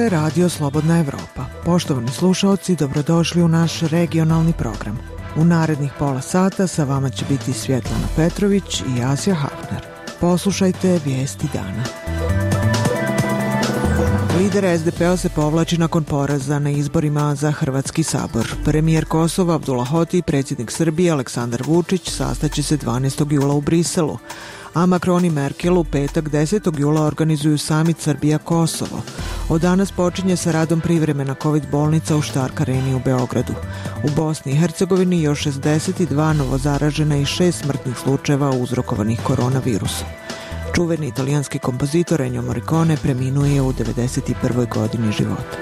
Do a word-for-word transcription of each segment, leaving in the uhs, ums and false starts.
je Radio Slobodna Evropa. Poštovani slušaoci, dobrodošli u naš regionalni program. U narednih pola sata sa vama će biti Svjetlana Petrović i Asja Hafner. Poslušajte vijesti dana. Lider es de pe-a se povlači nakon poraza na izborima za Hrvatski sabor. Premijer Kosova Abdullah Hoti i predsjednik Srbije Aleksandar Vučić sastaće se dvanaestog jula u Briselu, a Macron i Merkel u petak desetog jula organizuju samit Srbija-Kosovo. Od danas počinje sa radom privremena COVID bolnica u Stark Areni u Beogradu. U Bosni i Hercegovini još šezdeset dva novozaražena i šest smrtnih slučajeva uzrokovanih koronavirusom. Čuveni italijanski kompozitor Ennio Morricone preminuo je u devedeset prvoj godini života.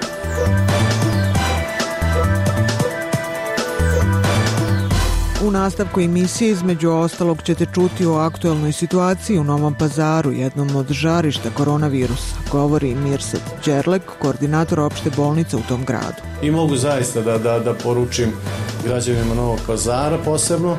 U nastavku emisije između ostalog ćete čuti o aktuelnoj situaciji u Novom Pazaru, jednom od žarišta koronavirusa, govori Mirsad Đerlek, koordinator opšte bolnice u tom gradu. I mogu zaista da, da, da poručim građanima Novog Pazara posebno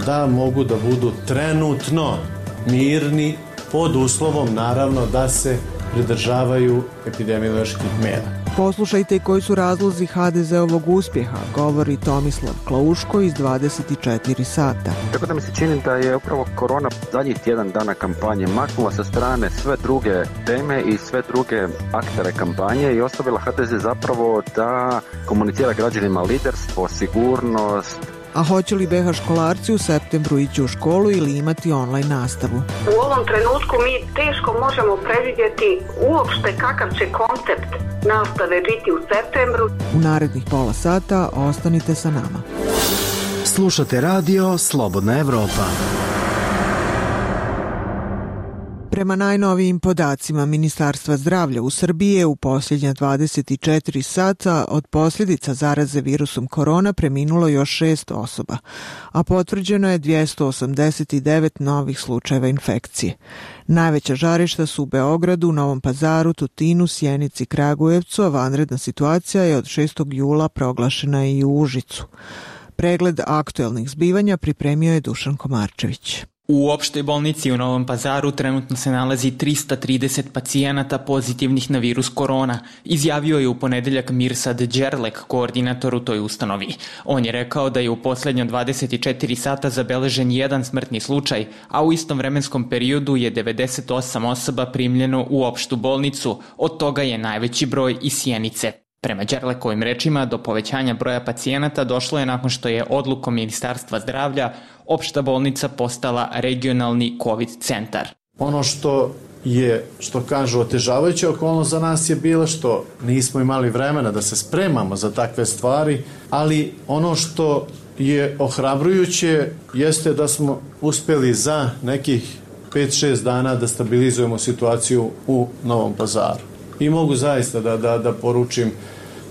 da mogu da budu trenutno mirni pod uslovom naravno da se pridržavaju epidemioloških mjera. Poslušajte i koji su razlozi ha de ze-ovog uspjeha, govori Tomislav Klauško iz dvadeset četiri sata. Tako da mi se čini da je upravo korona zadnjih tjedan dana kampanje maknula sa strane sve druge teme i sve druge aktere kampanje i ostavila ha de ze zapravo da komunicira građanima liderstvo, sigurnost. A hoće li be ha školarci u septembru ići u školu ili imati online nastavu? U ovom trenutku mi teško možemo predvidjeti uopšte kakav će koncept nastave biti u septembru. U narednih pola sata ostanite sa nama. Slušate radio Slobodna Evropa. Prema najnovijim podacima Ministarstva zdravlja u Srbiji je u posljednja dvadeset četiri sata od posljedica zaraze virusom korona preminulo još šest osoba, a potvrđeno je dvjesto osamdeset devet novih slučajeva infekcije. Najveća žarišta su u Beogradu, Novom Pazaru, Tutinu, Sjenici, Kragujevcu, a vanredna situacija je od šestog jula proglašena i u Užicu. Pregled aktuelnih zbivanja pripremio je Dušan Komarčević. U opštoj bolnici u Novom Pazaru trenutno se nalazi trista trideset pacijenata pozitivnih na virus korona, izjavio je u ponedeljak Mirsad Đerlek, koordinator u toj ustanovi. On je rekao da je u posljednja dvadeset četiri sata zabeležen jedan smrtni slučaj, a u istom vremenskom periodu je devedeset osam osoba primljeno u opštu bolnicu, od toga je najveći broj iz Sjenice. Prema Đerlekovim rečima, do povećanja broja pacijenata došlo je nakon što je odlukom Ministarstva zdravlja opšta bolnica postala regionalni COVID centar. Ono što je, što kažu, otežavajuća okolnost za nas je bilo što nismo imali vremena da se spremamo za takve stvari, ali ono što je ohrabrujuće jeste da smo uspjeli za nekih pet šest dana da stabilizujemo situaciju u Novom Pazaru. I mogu zaista da, da, da poručim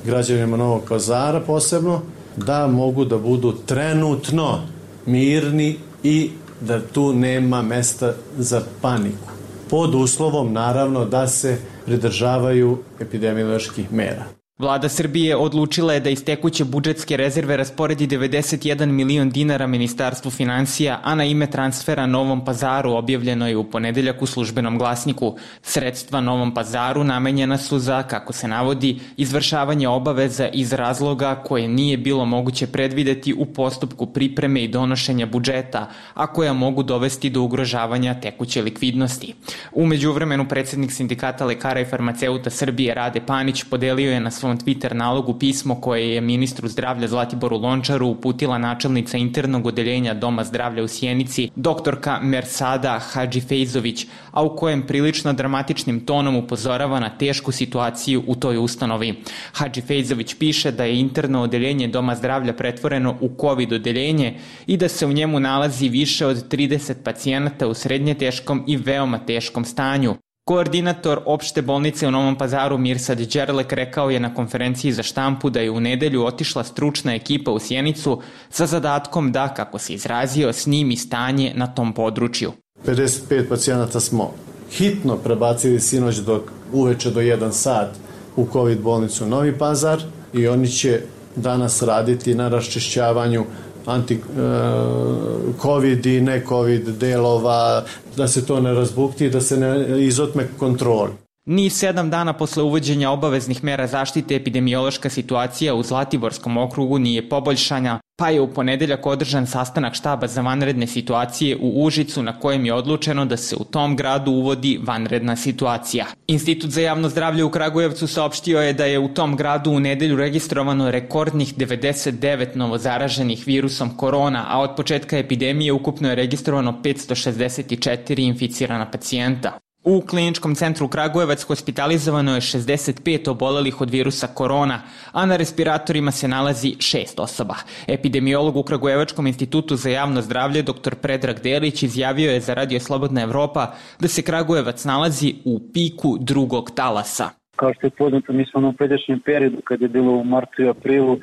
građanima Novog Pazara posebno da mogu da budu trenutno mirni i da tu nema mesta za paniku. Pod uslovom naravno da se pridržavaju epidemioloških mjera. Vlada Srbije odlučila je da iz tekuće budžetske rezerve rasporedi devedeset jedan milion dinara Ministarstvu finansija, a na ime transfera Novom Pazaru objavljeno je u ponedeljak u Službenom glasniku. Sredstva Novom Pazaru namenjena su za, kako se navodi, izvršavanje obaveza iz razloga koje nije bilo moguće predvideti u postupku pripreme i donošenja budžeta, a koja mogu dovesti do ugrožavanja tekuće likvidnosti. U međuvremenu predsjednik Sindikata lekara i farmaceuta Srbije Rade Panić podelio je na svom Twitter nalogu pismo koje je ministru zdravlja Zlatiboru Lončaru uputila načelnica internog odeljenja Doma zdravlja u Sjenici, doktorka Mersada Hadžifejzović, a u kojem prilično dramatičnim tonom upozorava na tešku situaciju u toj ustanovi. Hadžifejzović piše da je interno odeljenje Doma zdravlja pretvoreno u COVID odeljenje i da se u njemu nalazi više od trideset pacijenata u srednje teškom i veoma teškom stanju. Koordinator opšte bolnice u Novom Pazaru Mirsad Đerlek rekao je na konferenciji za štampu da je u nedelju otišla stručna ekipa u Sjenicu sa zadatkom da, kako se izrazio, snimi stanje na tom području. pedeset pet pacijenata smo hitno prebacili sinoć do uveče do jedan sat u COVID bolnicu Novi Pazar i oni će danas raditi na raščišćavanju anti-covid i ne-covid delova, da se to ne razbukti, da se ne izotme kontroli. Ni sedam dana posle uvođenja obaveznih mera zaštite epidemiološka situacija u Zlatiborskom okrugu nije poboljšana, pa je u ponedeljak održan sastanak štaba za vanredne situacije u Užicu na kojem je odlučeno da se u tom gradu uvodi vanredna situacija. Institut za javno zdravlje u Kragujevcu saopštio je da je u tom gradu u nedelju registrovano rekordnih devedeset devet novozaraženih virusom korona, a od početka epidemije ukupno je registrovano petsto šezdeset četiri inficirana pacijenta. U kliničkom centru Kragujevac hospitalizovano je šezdeset pet obolelih od virusa korona, a na respiratorima se nalazi šest osoba. Epidemiolog u Kragujevačkom institutu za javno zdravlje dr Predrag Delić izjavio je za Radio Slobodna Evropa da se Kragujevac nalazi u piku drugog talasa. Kao što je poznato, mi smo na pređašnjem periodu, kad je bilo u martu i aprilu,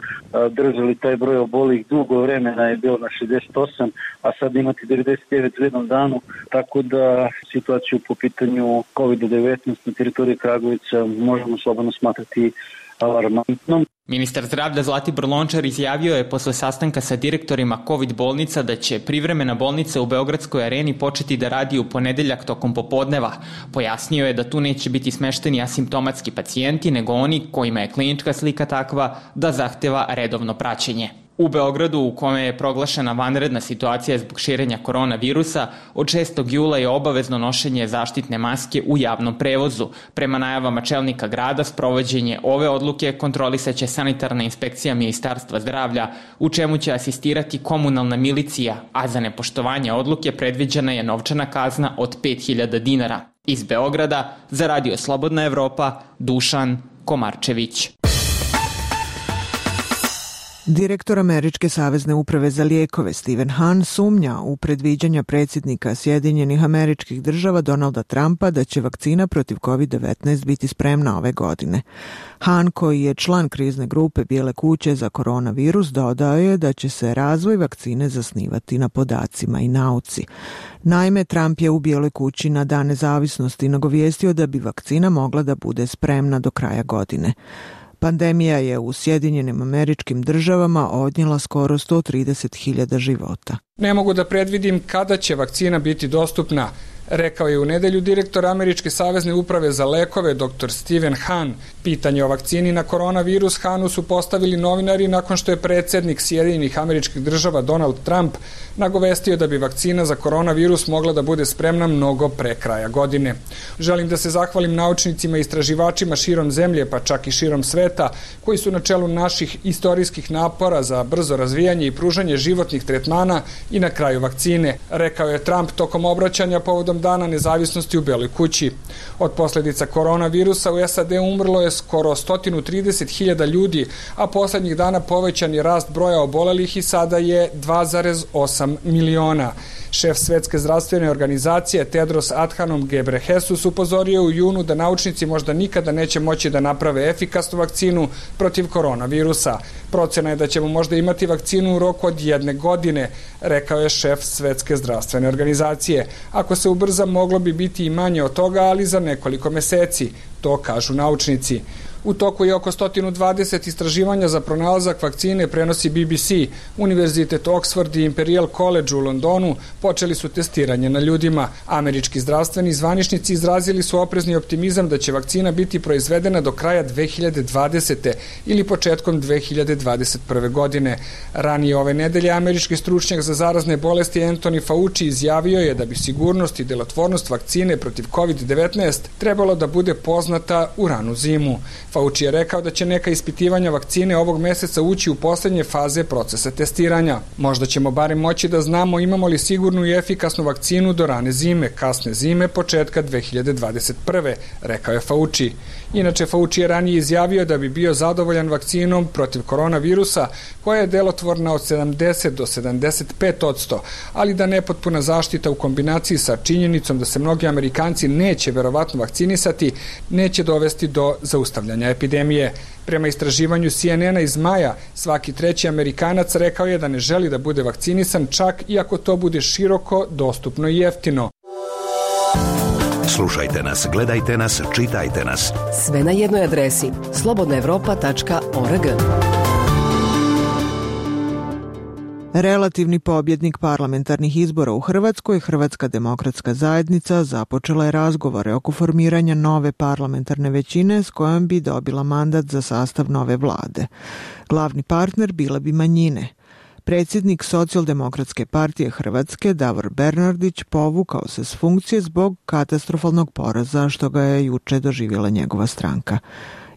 držali taj broj obolih dugo vremena, je bilo na šezdeset osam, a sad imate devedeset devet u jednom danu, tako da situaciju po pitanju kovid devetnaest na teritoriji Kragujevca možemo slobodno smatrati alarmantnom. Ministar zdravlja Zlatibor Lončar izjavio je posle sastanka sa direktorima COVID bolnica da će privremena bolnica u Beogradskoj areni početi da radi u ponedeljak tokom popodneva. Pojasnio je da tu neće biti smešteni asimptomatski pacijenti, nego oni kojima je klinička slika takva da zahteva redovno praćenje. U Beogradu, u kome je proglašena vanredna situacija zbog širenja koronavirusa, od šestog jula je obavezno nošenje zaštitne maske u javnom prevozu. Prema najavama čelnika grada, sprovođenje ove odluke kontrolisaće sanitarna inspekcija Ministarstva zdravlja, u čemu će asistirati komunalna milicija, a za nepoštovanje odluke predviđena je novčana kazna od pet hiljada dinara. Iz Beograda, za Radio Slobodna Evropa, Dušan Komarčević. Direktor Američke savezne uprave za lijekove Stephen Hahn sumnja u predviđanja predsjednika Sjedinjenih Američkih Država Donalda Trumpa da će vakcina protiv kovid devetnaest biti spremna ove godine. Hahn, koji je član krizne grupe Bijele kuće za koronavirus, dodao je da će se razvoj vakcine zasnivati na podacima i nauci. Naime, Trump je u Bijeloj kući na Dan nezavisnosti nagovijestio da bi vakcina mogla da bude spremna do kraja godine. Pandemija je u Sjedinjenim Američkim Državama odnijela skoro sto trideset hiljada života. Ne mogu da predvidim kada će vakcina biti dostupna, rekao je u nedelju direktor Američke savezne uprave za lekove dr Stephen Hahn. Pitanje o vakcini na koronavirus Hahnu su postavili novinari nakon što je predsjednik Sjedinjenih Američkih Država Donald Trump nagovestio da bi vakcina za koronavirus mogla da bude spremna mnogo pre kraja godine. Želim da se zahvalim naučnicima i istraživačima širom zemlje, pa čak i širom sveta, koji su na čelu naših istorijskih napora za brzo razvijanje i pružanje životnih tretmana i na kraju vakcine, rekao je Trump tokom obraćanja povodom Dana nezavisnosti u Beloj kući. Od posljedica koronavirusa u S A D umrlo je skoro sto trideset hiljada ljudi, a poslednjih dana povećan je rast broja obolelih i sada je dva zarez osam miliona. Šef Svetske zdravstvene organizacije Tedros Adhanom Ghebreyesus upozorio u junu da naučnici možda nikada neće moći da naprave efikasnu vakcinu protiv koronavirusa. Procena je da ćemo možda imati vakcinu u roku od jedne godine, rekao je šef Svetske zdravstvene organizacije. Ako se ubrza, moglo bi biti i manje od toga, ali za nekoliko meseci, to kažu naučnici. U toku je oko sto dvadeset istraživanja za pronalazak vakcine, prenosi B B C. Univerzitet Oxford i Imperial College u Londonu počeli su testiranje na ljudima. Američki zdravstveni zvaničnici izrazili su oprezni optimizam da će vakcina biti proizvedena do kraja dve hiljade dvadesete. ili početkom dve hiljade dvadeset prve. godine. Ranije ove nedelje američki stručnjak za zarazne bolesti Anthony Fauci izjavio je da bi sigurnost i delotvornost vakcine protiv kovid devetnaest trebalo da bude poznata u ranu zimu. Fauci je rekao da će neka ispitivanja vakcine ovog meseca ući u poslednje faze procesa testiranja. Možda ćemo barem moći da znamo imamo li sigurnu i efikasnu vakcinu do rane zime, kasne zime, početka dve hiljade dvadeset prve. rekao je Fauci. Inače, Fauci je ranije izjavio da bi bio zadovoljan vakcinom protiv koronavirusa, koja je delotvorna od sedamdeset do sedamdeset pet odsto, ali da nepotpuna zaštita u kombinaciji sa činjenicom da se mnogi Amerikanci neće verovatno vakcinisati, neće dovesti do zaustavljanja epidemije. Prema istraživanju C N N-a iz maja, svaki treći Amerikanac rekao je da ne želi da bude vakcinisan, čak i ako to bude široko, dostupno i jeftino. Slušajte nas, gledajte nas, čitajte nas. Sve na jednoj adresi slobodna evropa tačka org. Relativni pobjednik parlamentarnih izbora u Hrvatskoj, Hrvatska demokratska zajednica, započela je razgovore oko formiranja nove parlamentarne većine s kojom bi dobila mandat za sastav nove vlade. Glavni partner bile bi manjine. Predsjednik Socijaldemokratske partije Hrvatske, Davor Bernardić, povukao se s funkcije zbog katastrofalnog poraza što ga je juče doživjela njegova stranka.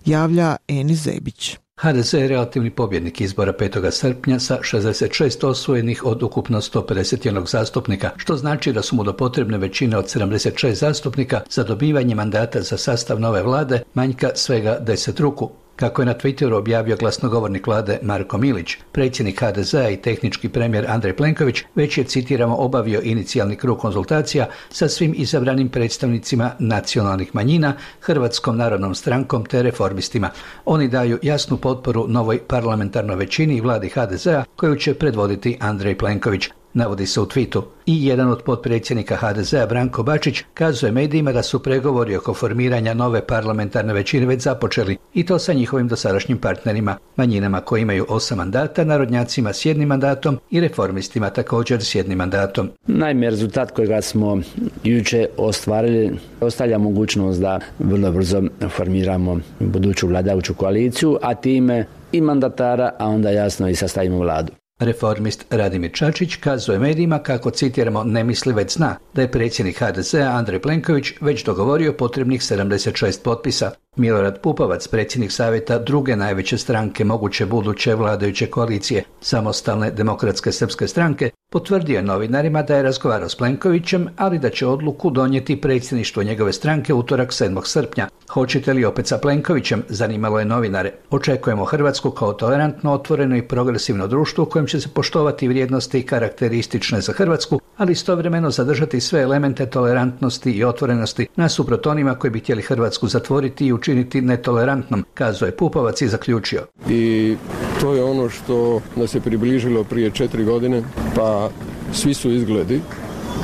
Javlja Enis Zebić. ha de ze je relativni pobjednik izbora petog srpnja sa šezdeset šest osvojenih od ukupno sto pedeset jedan zastupnika, što znači da su mu do potrebne većine od sedamdeset šest zastupnika za dobivanje mandata za sastav nove vlade manjka svega deset ruku. Kako je na Twitteru objavio glasnogovornik vlade Marko Milić, predsjednik ha de zea i tehnički premijer Andrej Plenković već je, citiramo, obavio inicijalni krug konzultacija sa svim izabranim predstavnicima nacionalnih manjina, Hrvatskom narodnom strankom te reformistima. Oni daju jasnu potporu novoj parlamentarnoj većini i vladi ha de zea koju će predvoditi Andrej Plenković. Navodi se u twitu. I jedan od potpredsjednika ha de zea, Branko Bačić, kazuje medijima da su pregovori oko formiranja nove parlamentarne većine već započeli, i to sa njihovim dosadašnjim partnerima, manjinama koji imaju osam mandata, narodnjacima s jednim mandatom i reformistima također s jednim mandatom. Naime, rezultat kojega smo juče ostvarili ostavlja mogućnost da vrlo brzo formiramo buduću vladajuću koaliciju, a time i mandatara, a onda jasno i sastavimo vladu. Reformist Radimir Čačić kazuje medijima kako, citiramo, ne misli već zna da je predsjednik ha de zea Andrej Plenković već dogovorio potrebnih sedamdeset šest potpisa. Milorad Pupovac, predsjednik savjeta druge najveće stranke moguće buduće vladajuće koalicije, Samostalne demokratske srpske stranke, potvrdio je novinarima da je razgovarao s Plenkovićem, ali da će odluku donijeti predsjedništvo njegove stranke utorak sedmog srpnja. Hoćete li opet sa Plenkovićem, zanimalo je novinare. Očekujemo Hrvatsku kao tolerantno, otvoreno i progresivno društvo u kojem će se poštovati vrijednosti karakteristične za Hrvatsku, ali istovremeno zadržati sve elemente tolerantnosti i otvorenosti nasuprot onima koji bi htjeli Hrvatsku zatvoriti i učiniti netolerantnom, kazuje Pupovac i zaključio. I to je ono što nas je približilo prije četiri godine, pa svi su izgledi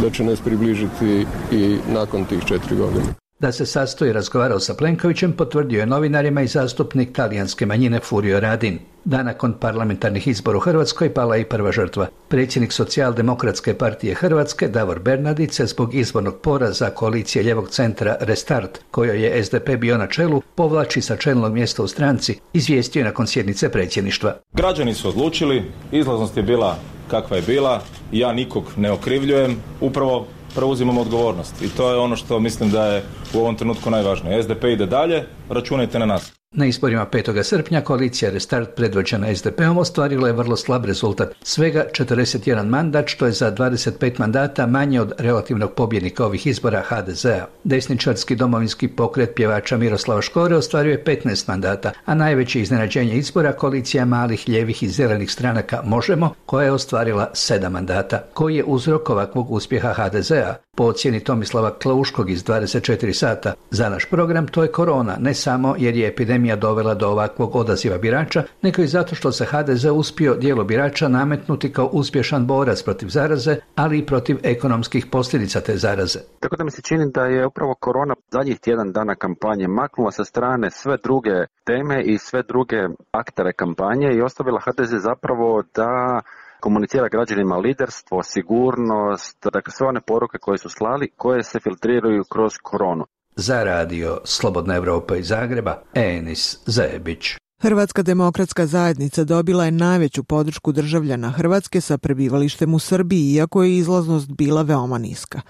da će nas približiti i nakon tih četiri godine. Da se sastoji razgovarao sa Plenkovićem potvrdio je novinarima i zastupnik talijanske manjine Furio Radin. Dan nakon parlamentarnih izbora u Hrvatskoj pala i prva žrtva. Predsjednik Socijaldemokratske partije Hrvatske Davor Bernardić se zbog izbornog poraza koalicije ljevog centra Restart, kojoj je es de pe bio na čelu, povlači sa čelnog mjesta u stranci, izvijestio je nakon sjednice predsjedništva. Građani su odlučili, izlaznost je bila kakva je bila, ja nikog ne okrivljujem, upravo preuzimamo odgovornost i to je ono što mislim da je u ovom trenutku najvažnije. es de pe ide dalje, računajte na nas. Na izborima petog srpnja koalicija Restart predvođena es de peom ostvarila je vrlo slab rezultat, svega četrdeset jedan mandat, što je za dvadeset pet mandata manje od relativnog pobjednika ovih izbora ha de zea. Desničarski domovinski pokret pjevača Miroslava Škore ostvario je petnaest mandata, a najveće iznenađenje izbora koalicija malih, ljevih i zelenih stranaka Možemo, koja je ostvarila sedam mandata. Koji je uzrok ovakvog uspjeha ha de zea? Po ocjeni Tomislava Klauškog iz dvadeset četiri sata za naš program, to je korona, ne samo jer je epidemija dovela do ovakvog odaziva birača, nego i zato što se ha de ze uspio dijelo birača nametnuti kao uspješan borac protiv zaraze, ali i protiv ekonomskih posljedica te zaraze. Tako da mi se čini da je upravo korona zadnjih tjedan dana kampanje maknula sa strane sve druge teme i sve druge aktere kampanje i ostavila ha de ze zapravo da komunicira građanima liderstvo, sigurnost, dakle sve one poruke koje su slali, koje se filtriraju kroz koronu. Za radio Slobodna Evropa iz Zagreba, Enis Zebić. Hrvatska demokratska zajednica dobila je najveću podršku državljana Hrvatske sa prebivalištem u Srbiji, iako je izlaznost bila veoma niska.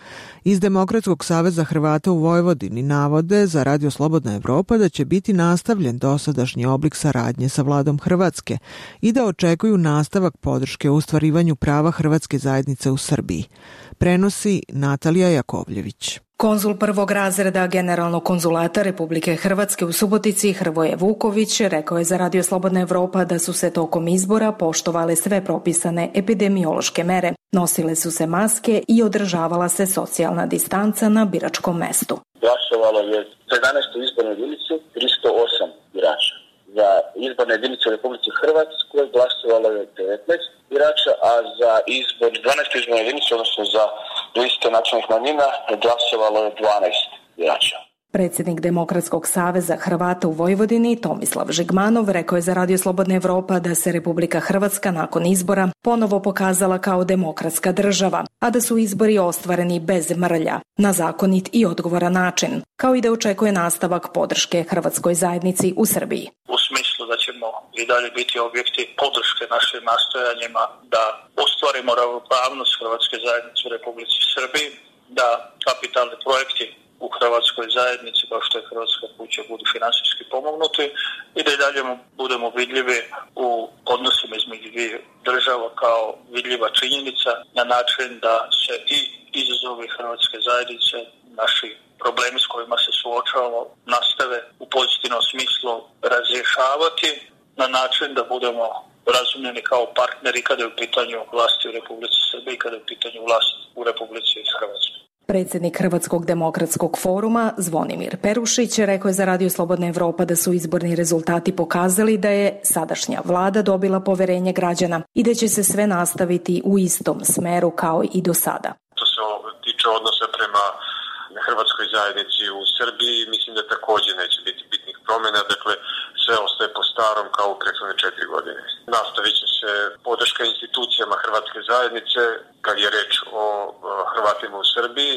Iz Demokratskog saveza Hrvata u Vojvodini navode za radio Slobodna Evropa da će biti nastavljen dosadašnji oblik saradnje sa vladom Hrvatske i da očekuju nastavak podrške u ostvarivanju prava hrvatske zajednice u Srbiji. Prenosi Natalija Jakovljević. Konzul prvog razreda Generalnog konzulata Republike Hrvatske u Subotici Hrvoje Vuković rekao je za radio Slobodna Evropa da su se tokom izbora poštovale sve propisane epidemiološke mere, nosile su se maske i održavala se socijalna distanca na biračkom mestu. Glasovalo je za jedanaestu izbornu jedinicu tristo osam birača. Za izborne jedinice u Republici Hrvatskoj glasovalo je devetnaest birača, a za izbor dvanaestu izbornu jedinicu, odnosno za liste nacionalnih manjina, glasovalo je dvanaest birača. Predsjednik Demokratskog saveza Hrvata u Vojvodini Tomislav Žigmanov rekao je za Radio Slobodna Evropa da se Republika Hrvatska nakon izbora ponovo pokazala kao demokratska država, a da su izbori ostvareni bez mrlja, na zakonit i odgovoran način, kao i da očekuje nastavak podrške hrvatskoj zajednici u Srbiji. U smislu da ćemo i dalje biti objekti podrške našim nastojanjima da ostvarimo ravnopravnost hrvatske zajednice u Republici Srbiji, da kapitalni projekti u hrvatskoj zajednici, kao što je Hrvatska kuća, budu finansijski pomognuti i da i dalje budemo vidljivi u odnosima između dvije država kao vidljiva činjenica na način da se i izazovi hrvatske zajednice, naši problemi s kojima se suočavamo, nastave u pozitivnom smislu razrješavati na način da budemo razumljeni kao partneri kada je u pitanju vlasti u Republici Srbiji i kada je u pitanju vlast u Republici Hrvatskoj. Predsjednik Hrvatskog demokratskog foruma Zvonimir Perušić rekao je za Radio Slobodna Evropa da su izborni rezultati pokazali da je sadašnja vlada dobila poverenje građana i da će se sve nastaviti u istom smeru kao i do sada. To se tiče odnosa prema hrvatskoj zajednici u Srbiji, mislim da također neće biti bitnih promjena, dakle sve ostaje po starom kao u prethodne četiri godine. Nastavit će se podrška institucijama hrvatske zajednice kad je reč o Hrvatima u Srbiji,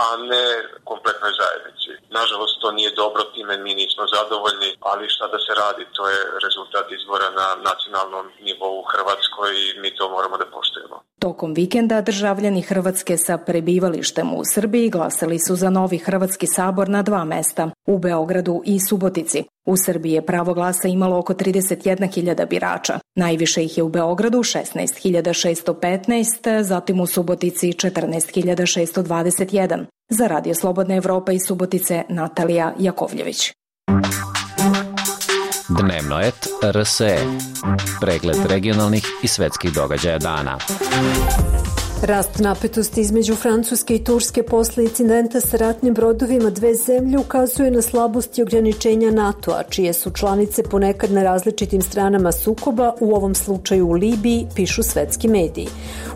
a ne kompletnoj zajednici. Nažalost, to nije dobro, time mi nismo zadovoljni, ali šta da se radi, to je rezultat izbora na nacionalnom nivou u Hrvatskoj i mi to moramo da poštujemo. Tokom vikenda državljani Hrvatske sa prebivalištem u Srbiji glasali su za novi Hrvatski sabor na dva mesta, u Beogradu i Subotici. U Srbiji je pravo glasa imalo oko trideset jedna hiljada birača. Najviše ih je u Beogradu šesnaest hiljada šesto petnaest, zatim u Subotici četrnaest hiljada šesto dvadeset jedan. Za Radio Slobodna Evropa iz Subotice Natalija Jakovljević. Dnevno et R S E. Pregled regionalnih i svetskih događaja dana. Rast napetosti između Francuske i Turske posle incidenta sa ratnim brodovima dve zemlje ukazuje na slabosti ograničenja NATO-a, čije su članice ponekad na različitim stranama sukoba, u ovom slučaju u Libiji, pišu svetski mediji.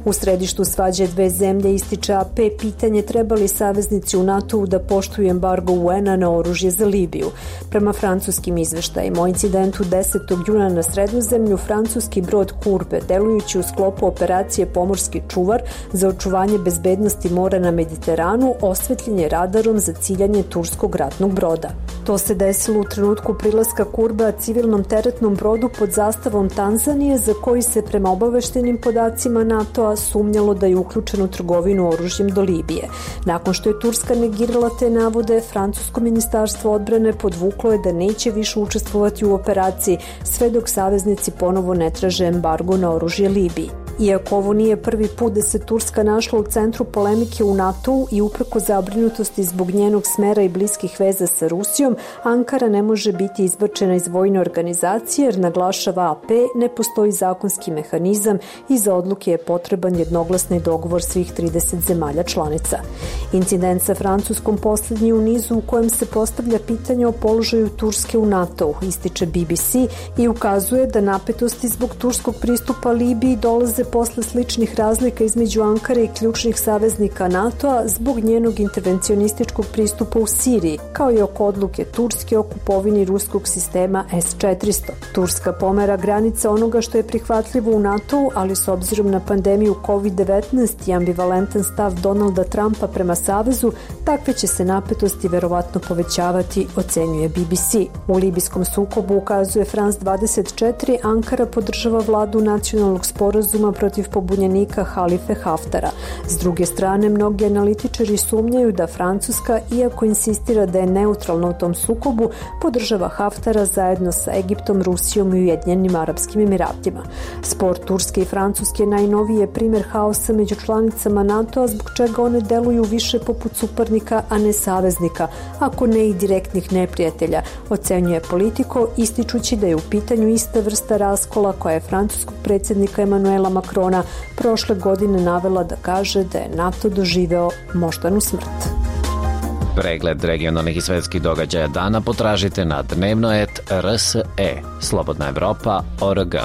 U središtu svađe dve zemlje ističe A P pitanje treba li saveznici u NATO-u da poštuju embargo U N-a na oružje za Libiju. Prema francuskim izveštajima o incidentu desetog juna na Sredozemlju, francuski brod Kurbe, delujući u sklopu operacije Pomorski čuvar za očuvanje bezbednosti mora na Mediteranu, osvetljen je radarom za ciljanje turskog ratnog broda. To se desilo u trenutku prilaska Kurba civilnom teretnom brodu pod zastavom Tanzanije, za koji se prema obaveštenim podacima NATO-a sumnjalo da je uključen u trgovinu oružjem do Libije. Nakon što je Turska negirala te navode, francusko ministarstvo odbrane podvuklo je da neće više učestvovati u operaciji sve dok saveznici ponovo ne traže embargo na oružje Libiji. Iako ovo nije prvi put da se Turska našla u centru polemike u NATO-u i upreko zabrinutosti zbog njenog smera i bliskih veza sa Rusijom, Ankara ne može biti izbačena iz vojne organizacije jer, naglašava A P, ne postoji zakonski mehanizam i za odluke je potreban jednoglasni dogovor svih trideset zemalja članica. Incident sa Francuskom posljednji u nizu u kojem se postavlja pitanje o položaju Turske u NATO-u, ističe B B C i ukazuje da napetosti zbog turskog pristupa Libiji dolaze posle sličnih razlika između Ankare i ključnih saveznika NATO-a zbog njenog intervencionističkog pristupa u Siriji, kao i oko odluke Turske o kupovini ruskog sistema S četiristo. Turska pomera granice onoga što je prihvatljivo u NATO-u, ali s obzirom na pandemiju kovid devetnaest i ambivalentan stav Donalda Trumpa prema savezu, takve će se napetosti verovatno povećavati, ocenjuje B B C. U libijskom sukobu, ukazuje France dvadeset četiri, Ankara podržava vladu nacionalnog sporazuma protiv pobunjenika Halife Haftara. S druge strane, mnogi analitičari sumnjaju da Francuska, iako insistira da je neutralna u tom sukobu, podržava Haftara zajedno sa Egiptom, Rusijom i Ujedinjenim Arapskim Emiratima. Spor Turske i Francuske najnoviji je primjer haosa među članicama NATO-a, zbog čega one deluju više poput suparnika, a ne saveznika, ako ne i direktnih neprijatelja, ocenjuje Politico, ističući da je u pitanju ista vrsta raskola koja je francuskog predsjednika Emanuela Macrona prošle godine navela da kaže da je NATO doživeo moždanu smrt. Pregled regionalnih i svetskih događaja dana potražite na dnevno et R S E, Slobodna Evropa, O R G.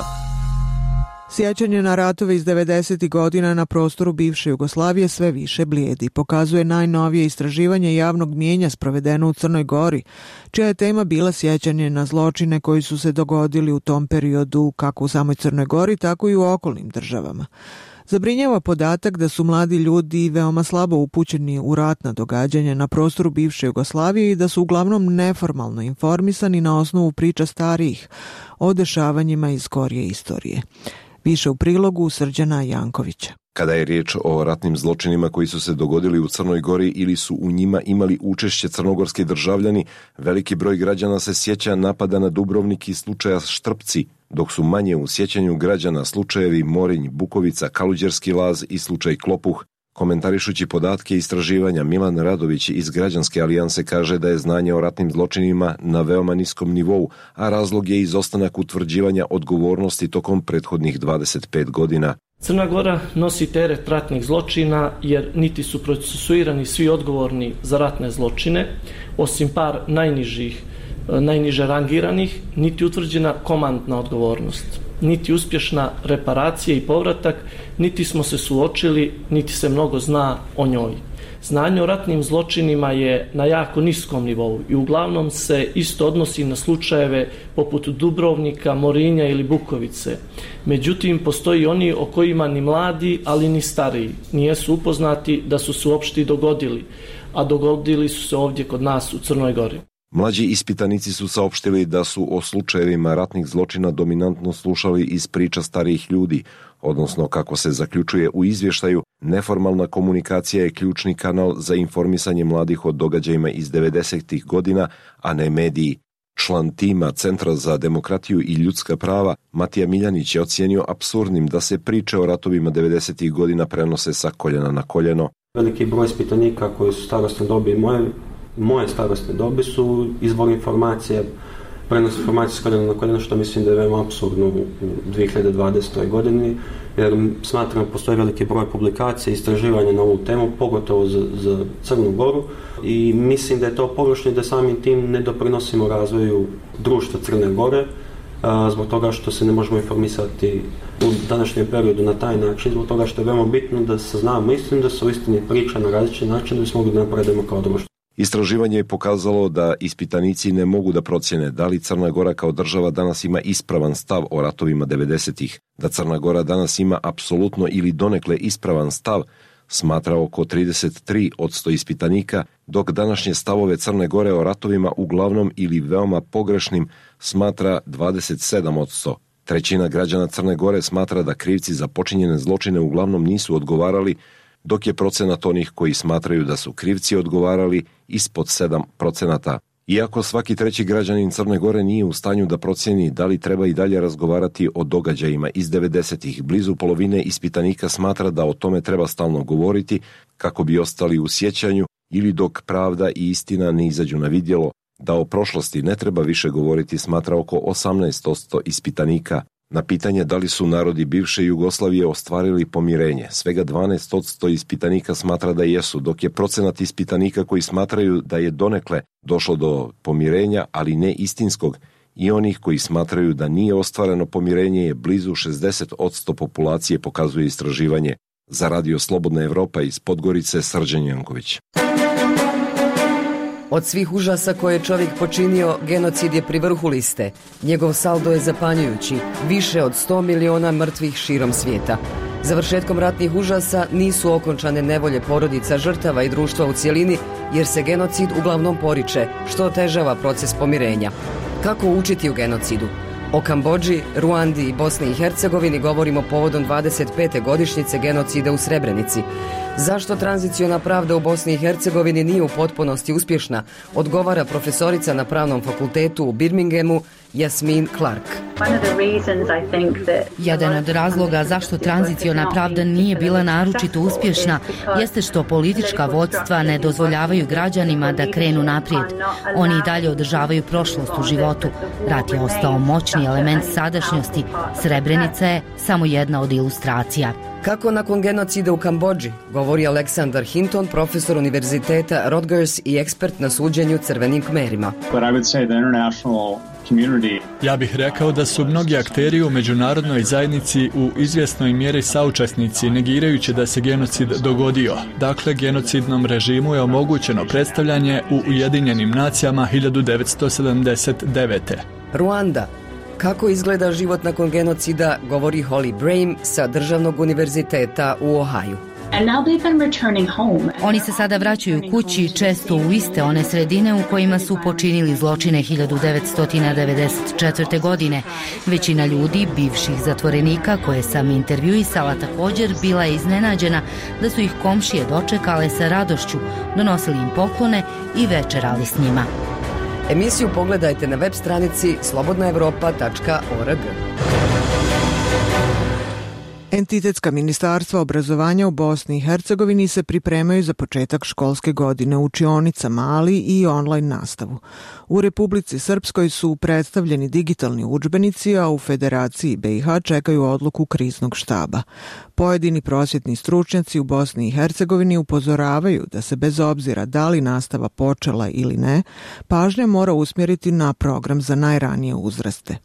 Sjećanje na ratove iz devedesetih godina na prostoru bivše Jugoslavije sve više blijedi, pokazuje najnovije istraživanje javnog mnijenja sprovedeno u Crnoj Gori, čija je tema bila sjećanje na zločine koji su se dogodili u tom periodu kako u samoj Crnoj Gori, tako i u okolnim državama. Zabrinjava podatak da su mladi ljudi veoma slabo upućeni u ratna događanja na prostoru bivše Jugoslavije i da su uglavnom neformalno informisani na osnovu priča starijih o dešavanjima iz skorije istorije. Više u prilogu Srđana Jankovića. Kada je riječ o ratnim zločinima koji su se dogodili u Crnoj Gori ili su u njima imali učešće crnogorski državljani, veliki broj građana se sjeća napada na Dubrovnik i slučaja Štrpci, dok su manje u sjećanju građana slučajevi Morinj, Bukovica, Kaluđerski laz i slučaj Klopuh. Komentarišući podatke istraživanja, Milan Radović iz Građanske alijanse kaže da je znanje o ratnim zločinima na veoma niskom nivou, a razlog je izostanak utvrđivanja odgovornosti tokom prethodnih dvadeset pet godina. Crna Gora nosi teret ratnih zločina jer niti su procesuirani svi odgovorni za ratne zločine, osim par najnižih, najniže rangiranih, niti utvrđena komandna odgovornost, niti uspješna reparacija i povratak, niti smo se suočili, niti se mnogo zna o njoj. Znanje o ratnim zločinima je na jako niskom nivou i uglavnom se isto odnosi na slučajeve poput Dubrovnika, Morinja ili Bukovice. Međutim, postoji oni o kojima ni mladi, ali ni stariji nijesu upoznati da su se uopšte dogodili, a dogodili su se ovdje kod nas u Crnoj Gori. Mlađi ispitanici su saopštili da su o slučajevima ratnih zločina dominantno slušali iz priča starijih ljudi, odnosno kako se zaključuje u izvještaju, neformalna komunikacija je ključni kanal za informisanje mladih o događajima iz devedesetih godina, a ne mediji. Član tima Centra za demokratiju i ljudska prava Matija Miljanić je ocijenio apsurdnim da se priče o ratovima devedesetih godina prenose sa koljena na koljeno. Veliki broj ispitanika koji su starosne dobi i moje, moje starosne dobi su izvor informacije, prenos informacije s koljena na koljeno, što mislim da je veoma apsurdno u dvije hiljade dvadesetoj godini, jer smatram da postoji veliki broj publikacija i istraživanja na ovu temu, pogotovo za, za Crnu Goru, i mislim da je to pogrešno i da samim tim ne doprinosimo razvoju društva Crne Gore, a, zbog toga što se ne možemo informisati u današnjem periodu na taj način, zbog toga što je veoma bitno da saznamo istinu, da se u istini priča na različit način da bismo mogli da napredimo kao društvo. Istraživanje je pokazalo da ispitanici ne mogu da procjene da li Crna Gora kao država danas ima ispravan stav o ratovima devedesetih. Da Crna Gora danas ima apsolutno ili donekle ispravan stav smatra oko trideset tri posto ispitanika, dok današnje stavove Crne Gore o ratovima uglavnom ili veoma pogrešnim smatra dvadeset sedam posto. Trećina građana Crne Gore smatra da krivci za počinjene zločine uglavnom nisu odgovarali, dok je procenat onih koji smatraju da su krivci odgovarali ispod sedam procenata. Iako svaki treći građanin Crne Gore nije u stanju da procjeni da li treba i dalje razgovarati o događajima iz devedesetih, blizu polovine ispitanika smatra da o tome treba stalno govoriti kako bi ostali u sjećanju ili dok pravda i istina ne izađu na vidjelo. Da o prošlosti ne treba više govoriti smatra oko osamnaest posto ispitanika. Na pitanje da li su narodi bivše Jugoslavije ostvarili pomirenje, svega dvanaest posto ispitanika smatra da jesu, dok je procenat ispitanika koji smatraju da je donekle došlo do pomirenja, ali ne istinskog, i onih koji smatraju da nije ostvareno pomirenje je blizu šezdeset posto populacije, pokazuje istraživanje. Za Radio Slobodna Evropa iz Podgorice, Srđan Janković. Od svih užasa koje je čovjek počinio, genocid je pri vrhu liste. Njegov saldo je zapanjujući, više od sto miliona mrtvih širom svijeta. Završetkom ratnih užasa nisu okončane nevolje porodica, žrtava i društva u cjelini, jer se genocid uglavnom poriče, što otežava proces pomirenja. Kako učiti u genocidu? O Kambodži, Ruandi i Bosni i Hercegovini govorimo povodom dvadeset pete godišnjice genocida u Srebrenici. Zašto tranziciona pravda u Bosni i Hercegovini nije u potpunosti uspješna, odgovara profesorica na Pravnom fakultetu u Birminghamu Jasmin Clark. Jedan od razloga zašto tranziciona pravda nije bila naročito uspješna jeste što politička vodstva ne dozvoljavaju građanima da krenu naprijed. Oni i dalje održavaju prošlost u životu. Rat je ostao moćni element sadašnjosti. Srebrenica je samo jedna od ilustracija. Kako nakon genocida u Kambodži, govori Aleksandar Hinton, profesor univerziteta Rutgers i ekspert na suđenju crvenim kmerima. Ja bih rekao da su mnogi akteri u međunarodnoj zajednici u izvjesnoj mjeri saučesnici, negirajući da se genocid dogodio. Dakle, genocidnom režimu je omogućeno predstavljanje u Ujedinjenim nacijama hiljadu devetsto sedamdeset devete. Ruanda. Kako izgleda život nakon genocida, govori Holly Brame sa Državnog univerziteta u Ohaju. Oni se sada vraćaju kući, često u iste one sredine u kojima su počinili zločine hiljadu devetsto devedeset četvrte. godine. Većina ljudi, bivših zatvorenika koje sam intervjuisala, također bila je iznenađena da su ih komšije dočekale sa radošću, donosili im poklone i večerali s njima. Emisiju pogledajte na web stranici slobodna evropa tačka org. Entitetska ministarstva obrazovanja u Bosni i Hercegovini se pripremaju za početak školske godine u učionicama, ali i online nastavu. U Republici Srpskoj su predstavljeni digitalni udžbenici, a u Federaciji B i H čekaju odluku kriznog štaba. Pojedini prosvjetni stručnjaci u Bosni i Hercegovini upozoravaju da se bez obzira da li nastava počela ili ne, pažnja mora usmjeriti na program za najranije uzraste.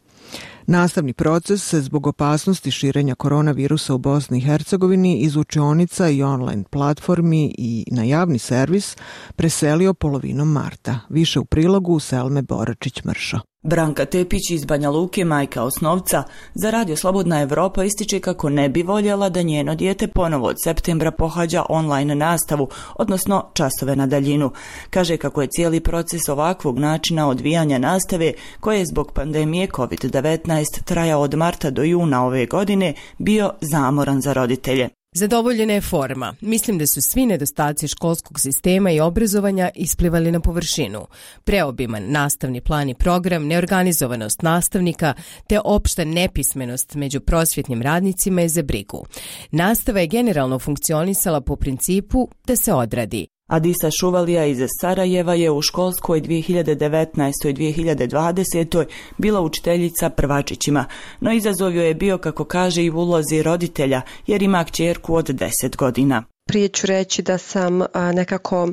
Nastavni proces se zbog opasnosti širenja koronavirusa u Bosni i Hercegovini iz učionica i online platformi i na javni servis preselio polovinom marta. Više u prilogu Selme Boračić-Mršo. Branka Tepić iz Banja Luke, majka osnovca, za Radio Slobodna Evropa ističe kako ne bi voljela da njeno dijete ponovo od septembra pohađa online nastavu, odnosno časove na daljinu. Kaže kako je cijeli proces ovakvog načina odvijanja nastave, koje je zbog pandemije kovid devetnaest trajao od marta do juna ove godine, bio zamoran za roditelje. Zadovoljena je forma. Mislim da su svi nedostaci školskog sistema i obrazovanja isplivali na površinu. Preobiman nastavni plan i program, neorganizovanost nastavnika te opšta nepismenost među prosvjetnim radnicima je za brigu. Nastava je generalno funkcionisala po principu da se odradi. Adisa Šuvalija iz Sarajeva je u školskoj dvije hiljade devetnaestoj dvije hiljade dvadesetoj bila učiteljica prvačićima, no izazov joj je bio, kako kaže, i u ulozi roditelja, jer ima kćerku od deset godina. Prije ću reći da sam a, nekako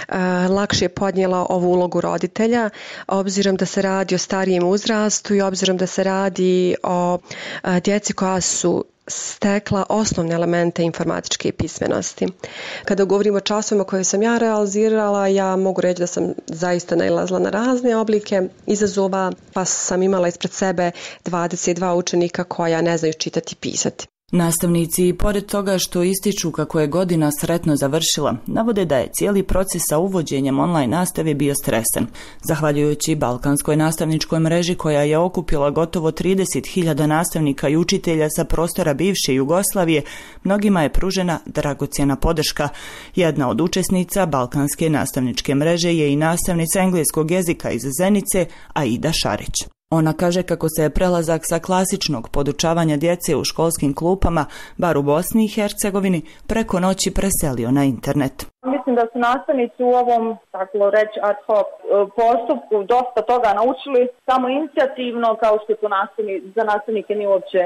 a, lakše podnijela ovu ulogu roditelja, obzirom da se radi o starijem uzrastu i obzirom da se radi o a, djeci koja su stekla osnovne elemente informatičke pismenosti. Kada govorimo o časovima koje sam ja realizirala, ja mogu reći da sam zaista nailazila na razne oblike izazova, pa sam imala ispred sebe dvadeset dva učenika koja ne znaju čitati i pisati. Nastavnici, i pored toga što ističu kako je godina sretno završila, navode da je cijeli proces sa uvođenjem online nastave bio stresan. Zahvaljujući Balkanskoj nastavničkoj mreži koja je okupila gotovo trideset hiljada nastavnika i učitelja sa prostora bivše Jugoslavije, mnogima je pružena dragocjena podrška. Jedna od učesnica Balkanske nastavničke mreže je i nastavnica engleskog jezika iz Zenice, Aida Šarić. Ona kaže kako se je prelazak sa klasičnog podučavanja djece u školskim klupama, bar u Bosni i Hercegovini, preko noći preselio na internet. Mislim da su nastavnici u ovom, tako reći, ad hoc postupku dosta toga naučili samo inicijativno, kao što to nastavni, za nastavnike nije uopće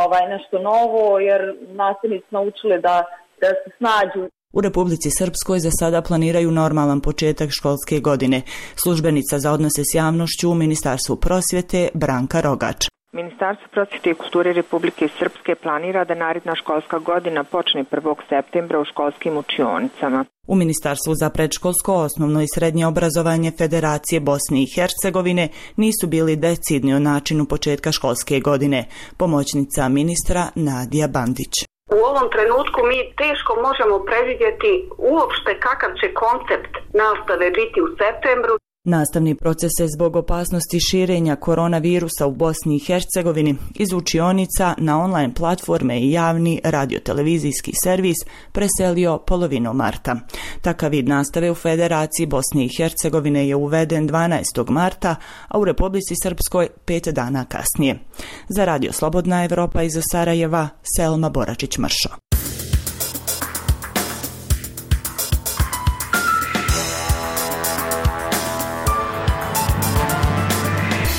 ovaj, nešto novo, jer nastavnici naučili da, da se snađu. U Republici Srpskoj za sada planiraju normalan početak školske godine. Službenica za odnose s javnošću u Ministarstvu prosvjete Branka Rogač. Ministarstvo prosvjete i kulture Republike Srpske planira da naredna školska godina počne prvog septembra u školskim učionicama. U Ministarstvu za predškolsko, osnovno i srednje obrazovanje Federacije Bosne i Hercegovine nisu bili decidni o načinu početka školske godine. Pomoćnica ministra Nadija Bandić. U ovom trenutku mi teško možemo predvidjeti uopšte kakav će koncept nastave biti u septembru. Nastavni proces se zbog opasnosti širenja koronavirusa u Bosni i Hercegovini iz učionica na online platforme i javni radiotelevizijski servis preselio polovinom marta. Takav vid nastave u Federaciji Bosne i Hercegovine je uveden dvanaestog marta, a u Republici Srpskoj pet dana kasnije. Za Radio Slobodna Evropa iz Sarajeva, Selma Boračić-Mršo.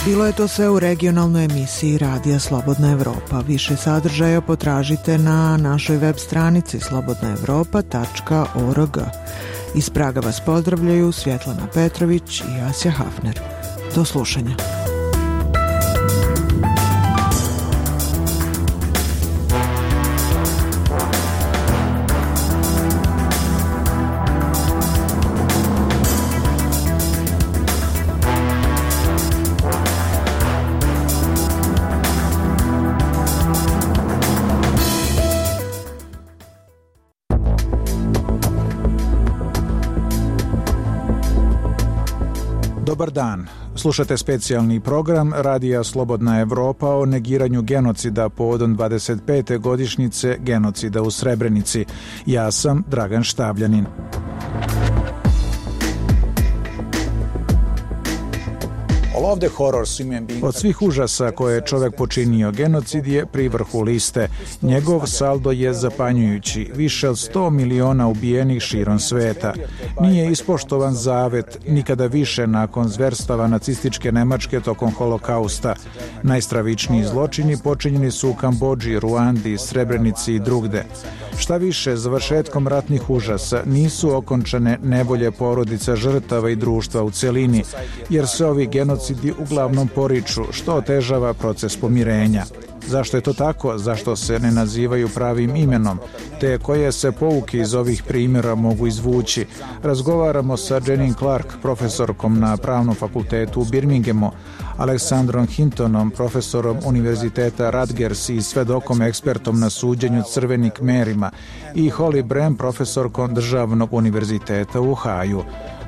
Bilo je to sve u regionalnoj emisiji Radija Slobodna Evropa. Više sadržaja potražite na našoj web stranici slobodna evropa tačka org. Iz Praga vas pozdravljaju Svjetlana Petrović i Asja Hafner. Do slušanja. Dobar dan. Slušate specijalni program Radija Slobodna Evropa o negiranju genocida povodom dvadeset pete godišnjice genocida u Srebrenici. Ja sam Dragan Štabljanin. Od svih užasa koje je čovek počinio, genocid je pri vrhu liste. Njegov saldo je zapanjujući, više od sto miliona ubijenih širom sveta. Nije ispoštovan zavet nikada više nakon zverstava nacističke Nemačke tokom holokausta. Najstravičniji zločini počinjeni su u Kambodži, Ruandi, Srebrenici i drugde. Šta više, završetkom ratnih užasa nisu okončane nevolje porodica žrtava i društva u celini, jer se ovi genocidi uglavnom poriču, što otežava proces pomirenja. Zašto je to tako? Zašto se ne nazivaju pravim imenom? Te koje se pouke iz ovih primjera mogu izvući? Razgovaramo sa Jeanine Clark, profesorkom na Pravnom fakultetu u Birminghamu, Aleksandrom Hintonom, profesorom Univerziteta Rutgers i svedokom ekspertom na suđenju crvenim kmerima, i Holly Brem, profesorkom Državnog univerziteta u Ohaju.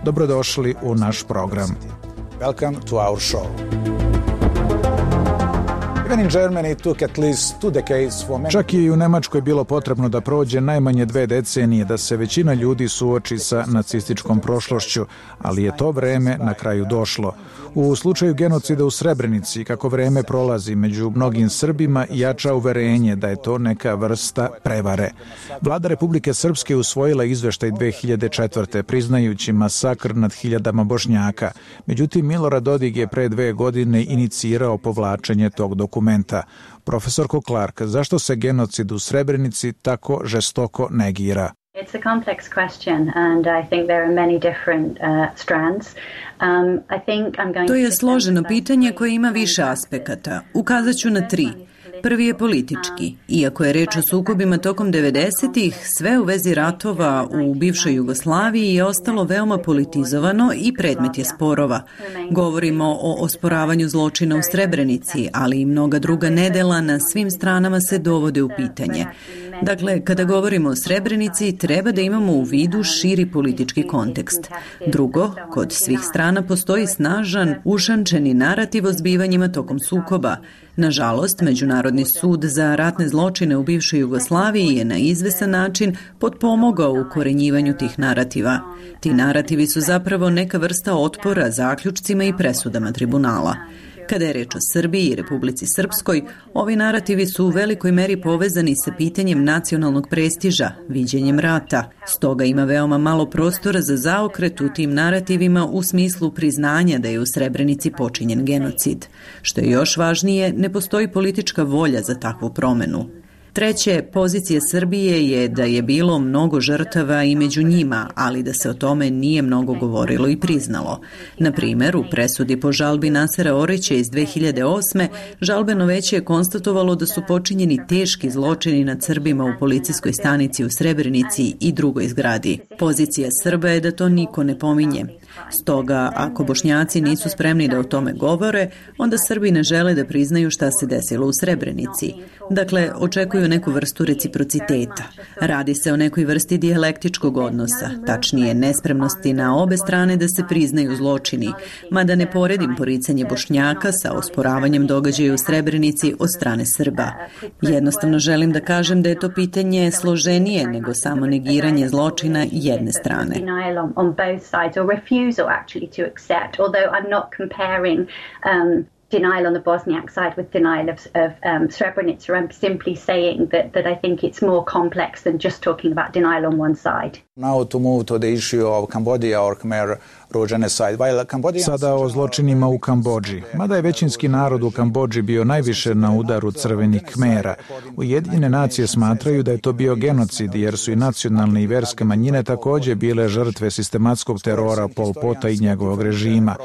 Dobrodošli u naš program. Welcome to our show. Even in Germany took at least two decades for many... Čak i u Nemačkoj bilo potrebno da prođe najmanje dve decenije da se većina ljudi suoči sa nacističkom prošlošću, ali je to vreme na kraju došlo. U slučaju genocida u Srebrenici, kako vreme prolazi, među mnogim Srbima jača uverenje da je to neka vrsta prevare. Vlada Republike Srpske usvojila izveštaj dve hiljade četvrte priznajući masakr nad hiljadama Bošnjaka. Međutim, Milorad Dodik je pre dve godine inicirao povlačenje tog dokumenta. Profesorko Clark, zašto se genocid u Srebrenici tako žestoko negira? It's a complex question and I think there are many different uh, strands. Um, I think I'm going to... To je složeno pitanje koje ima više aspekata. Ukazat ću na tri. Prvi je politički. Iako je reč o sukobima tokom devedesetih, sve u vezi ratova u bivšoj Jugoslaviji je ostalo veoma politizovano i predmet je sporova. Govorimo o osporavanju zločina u Srebrenici, ali i mnoga druga nedela na svim stranama se dovode u pitanje. Dakle, kada govorimo o Srebrenici, treba da imamo u vidu širi politički kontekst. Drugo, kod svih strana postoji snažan, ušančeni narativ o zbivanjima tokom sukoba. Nažalost, Međunarodni sud za ratne zločine u bivšoj Jugoslaviji je na izvesan način potpomogao u korenjivanju tih narativa. Ti narativi su zapravo neka vrsta otpora zaključcima i presudama tribunala. Kada je reč o Srbiji i Republici Srpskoj, ovi narativi su u velikoj meri povezani sa pitanjem nacionalnog prestiža, viđenjem rata. Stoga ima veoma malo prostora za zaokret u tim narativima u smislu priznanja da je u Srebrenici počinjen genocid. Što je još važnije, ne postoji politička volja za takvu promenu. Treće, pozicija Srbije je da je bilo mnogo žrtava i među njima, ali da se o tome nije mnogo govorilo i priznalo. Na primjer, u presudi po žalbi Nasera Orića iz dve hiljade osme. žalbeno veće je konstatovalo da su počinjeni teški zločini nad Srbima u policijskoj stanici u Srebrenici i drugoj zgradi. Pozicija Srba je da to niko ne pominje. Stoga, ako Bošnjaci nisu spremni da o tome govore, onda Srbi ne žele da priznaju šta se desilo u Srebrenici. Dakle, očekuju neku vrstu reciprociteta. Radi se o nekoj vrsti dijalektičkog odnosa, tačnije nespremnosti na obe strane da se priznaju zločini, mada ne poredim poricanje Bošnjaka sa osporavanjem događaja u Srebrenici od strane Srba. Jednostavno želim da kažem da je to pitanje složenije nego samo negiranje zločina jedne strane. Refusal actually to accept, although I'm not comparing um, denial on the Bosniak side with denial of, of um, Srebrenica. I'm simply saying that, that I think it's more complex than just talking about denial on one side. Now to move to the issue of Cambodia or Khmer Sada o zločinima u Kambodži. Mada je većinski narod u Kambodži bio najviše na udaru crvenih Kmera, Ujedinjene nacije smatraju da je to bio genocid jer su i nacionalne i verske manjine također bile žrtve sistematskog terora Pol Pota i njegovog režima.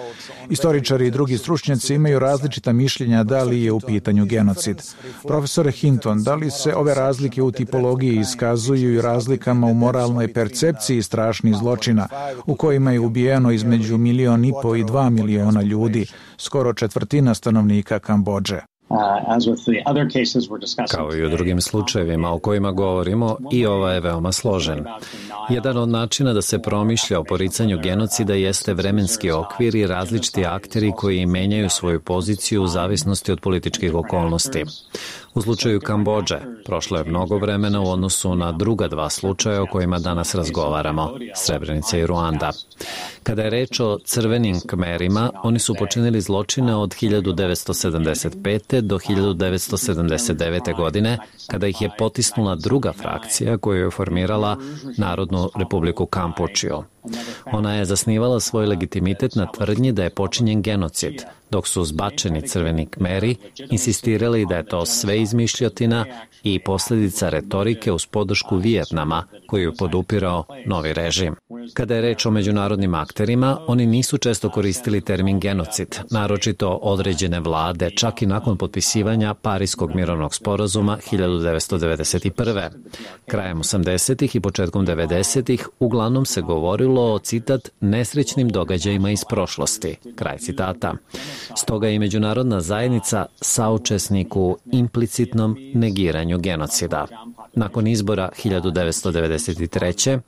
Istoričari i drugi stručnjaci imaju različita mišljenja da li je u pitanju genocid. Profesore Hinton, da li se ove razlike u tipologiji iskazuju i razlikama u moralnoj percepciji strašnih zločina u kojima je ubijeno između milion i po i dva miliona ljudi, skoro četvrtina stanovnika Kambodže? Kao i u drugim slučajevima o kojima govorimo, i ovaj je veoma složen. Jedan od načina da se promišlja o poricanju genocida jeste vremenski okvir i različiti akteri koji menjaju svoju poziciju u zavisnosti od političkih okolnosti. U slučaju Kambodže prošlo je mnogo vremena u odnosu na druga dva slučaja o kojima danas razgovaramo, Srebrenica i Ruanda. Kada je reč o crvenim Kmerima, oni su počinili zločine od hiljadu devetsto sedamdeset pete. do hiljadu devetsto sedamdeset devete. godine, kada ih je potisnula druga frakcija koju je formirala Narodnu republiku Kampučiju. Ona je zasnivala svoj legitimitet na tvrdnji da je počinjen genocid, dok su zbačeni crveni Kmeri insistirali da je to sve izmišljotina i posljedica retorike uz podršku Vijetnama, koju je podupirao novi režim. Kada je reč o međunarodnim akterima, oni nisu često koristili termin genocid, naročito određene vlade, čak i nakon potpisivanja Pariskog mirovnog sporazuma hiljadu devetsto devedeset prve. Krajem osamdesetih i početkom devedesetih uglavnom se govorilo o, citat, nesrećnim događajima iz prošlosti, kraj citata. Stoga je i međunarodna zajednica saučesnik u implicitnom negiranju genocida. Nakon izbora hiljadu devetsto devedeset treće.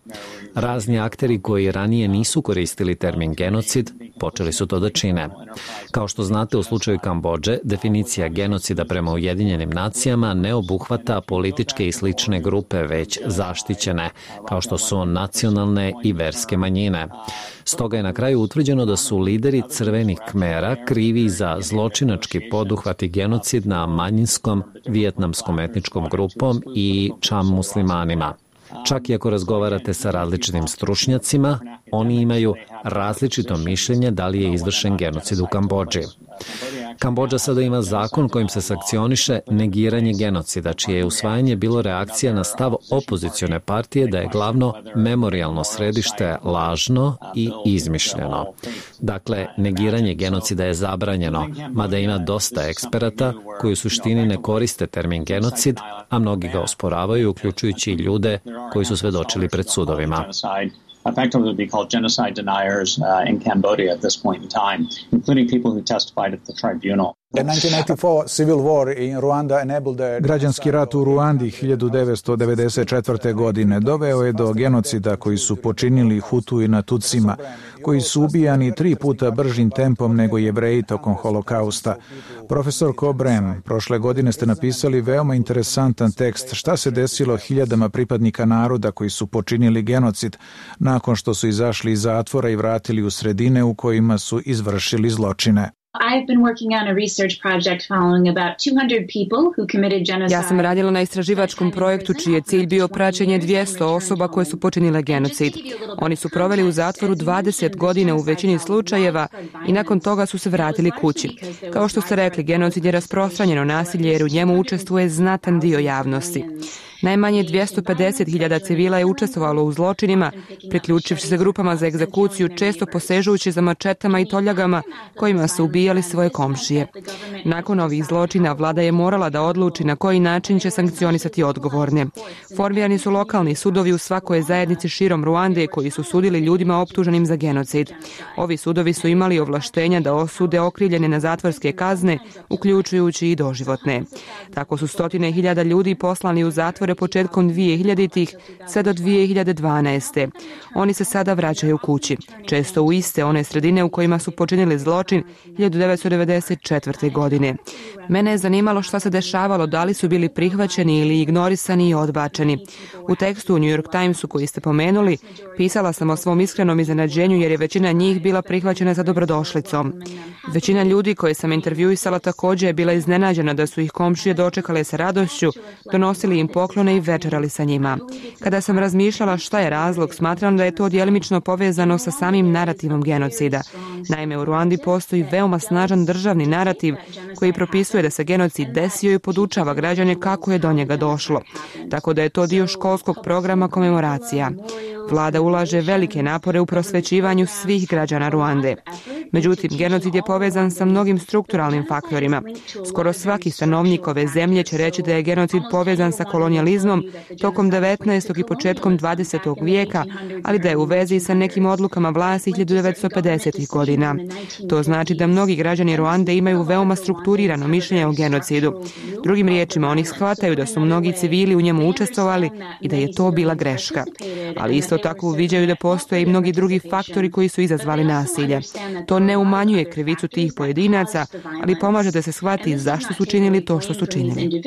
razni akteri koji ranije nisu koristili termin genocid počeli su to da čine. Kao što znate, u slučaju Kambodže, definicija genocida prema Ujedinjenim nacijama ne obuhvata političke i slične grupe, već zaštićene, kao što su nacionalne i verske manjine. Stoga je na kraju utvrđeno da su lideri crvenih Kmera krivi za zločinački poduhvat i genocid na manjinskom vijetnamskom etničkom grupom i Cham muslimanima. Čak i ako razgovarate sa različitim stručnjacima, oni imaju različito mišljenje da li je izvršen genocid u Kambodži. Kambodža sada ima zakon kojim se sankcioniše negiranje genocida, čije je usvajanje bilo reakcija na stav opozicione partije da je glavno memorijalno središte lažno i izmišljeno. Dakle, negiranje genocida je zabranjeno, mada ima dosta eksperata koji u suštini ne koriste termin genocid, a mnogi ga osporavaju, uključujući i ljude koji su svedočili pred sudovima. Effectively be called genocide deniers uh, in Cambodia at this point in time, including people who testified at the tribunal. Građanski rat u Ruandi hiljadu devetsto devedeset četvrte. godine doveo je do genocida koji su počinili Hutu i na Tutsima, koji su ubijani tri puta bržim tempom nego Jevreji tokom holokausta. Profesor Cobrem, prošle godine ste napisali veoma interesantan tekst šta se desilo hiljadama pripadnika naroda koji su počinili genocid nakon što su izašli iz zatvora i vratili u sredine u kojima su izvršili zločine. I've been working on a research project following about two hundred people who committed genocide. Ja sam radila na istraživačkom projektu čiji je cilj bio praćenje dvjesto osoba koje su počinile genocid. Oni su proveli u zatvoru dvadeset godina u većini slučajeva i nakon toga su se vratili kući. Kao što ste rekli, genocid je rasprostranjeno nasilje jer u njemu učestvuje znatan dio javnosti. Najmanje dvjesto pedeset hiljada civila je učestvovalo u zločinima, priključivši se grupama za egzekuciju, često posežujući za mačetama i toljagama kojima su ubijali svoje komšije. Nakon ovih zločina vlada je morala da odluči na koji način će sankcionisati odgovorne. Formirani su lokalni sudovi u svakoj zajednici širom Ruande koji su sudili ljudima optuženim za genocid. Ovi sudovi su imali ovlaštenja da osude okrivljene na zatvorske kazne, uključujući i doživotne. Tako su stotine hiljada ljudi poslani u zatvore početkom dvije hiljaditih sve do dvije hiljade dvanaeste. Oni se sada vraćaju kući, često u iste one sredine u kojima su počinili zločin hiljadu devetsto devedeset četvrte. godine. Mene je zanimalo šta se dešavalo, da li su bili prihvaćeni ili ignorisani i odbačeni. U tekstu u New York Timesu koji ste pomenuli, pisala sam o svom iskrenom iznenađenju jer je većina njih bila prihvaćena za dobrodošlicom. Većina ljudi koje sam intervjuisala također je bila iznenađena da su ih komšije dočekale sa radošću, donosili im poklone i večerali sa njima. Kada sam razmišljala šta je razlog, smatram da je to djelimično povezano sa samim narativom genocida. Naime, u Ruandi postoji veoma snažan državni narativ koji propisuje da se genocid desio i podučava građane kako je do njega došlo. Tako da je to dio školskog programa komemoracija. Vlada ulaže velike napore u prosvećivanju svih građana Ruande. Međutim, genocid je povezan sa mnogim strukturalnim faktorima. Skoro svaki stanovnik ove zemlje će reći da je genocid povezan sa kolonijalizmom tokom devetnaestog i početkom dvadesetog vijeka, ali da je u vezi sa nekim odlukama vlasti hiljadu devetsto pedesetih godina. To znači da mnogi građani Ruande imaju veoma strukturirano mišljenje o genocidu. Drugim riječima, oni shvataju da su mnogi civili u njemu učestvovali i da je to bila greška. Ali isto tako uviđaju da postoje i mnogi drugi faktori koji su izazvali nasilje. To ne umanjuje krivicu tih pojedinaca, ali pomaže da se shvati zašto su činili to što su činili.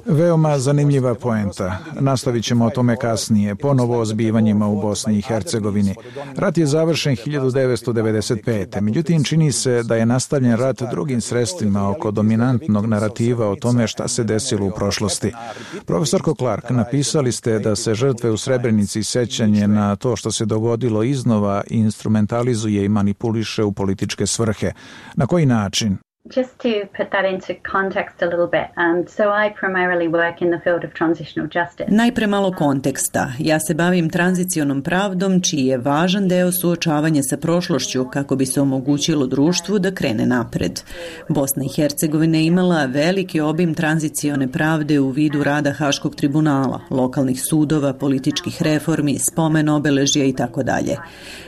Veoma zanimljiva poenta. Nastavit ćemo o tome kasnije, ponovo o zbivanjima u Bosni i Hercegovini. Rat je završen hiljadu devetsto devedeset pete. Međutim, čini se da je nastavljen rat drugim sredstvima oko dominantnog narativa o tome šta se desilo u prošlosti. Profesorko Clark, napisali ste da se žrtve u Srebrenici sećanje na to što se dogodilo iznova instrumentalizuje i manipuliše u političke svrhe. Na koji način? Just to put that into context a little bit, um, so I primarily work in the field of transitional justice. Najpre malo konteksta. Ja se bavim tranzicionom pravdom, čiji je važan deo suočavanja sa prošlošću kako bi se omogućilo društvu da krene napred. Bosna i Hercegovina je imala veliki obim tranzicione pravde u vidu rada Haškog tribunala, lokalnih sudova, političkih reformi, spomen obeležja i tako dalje.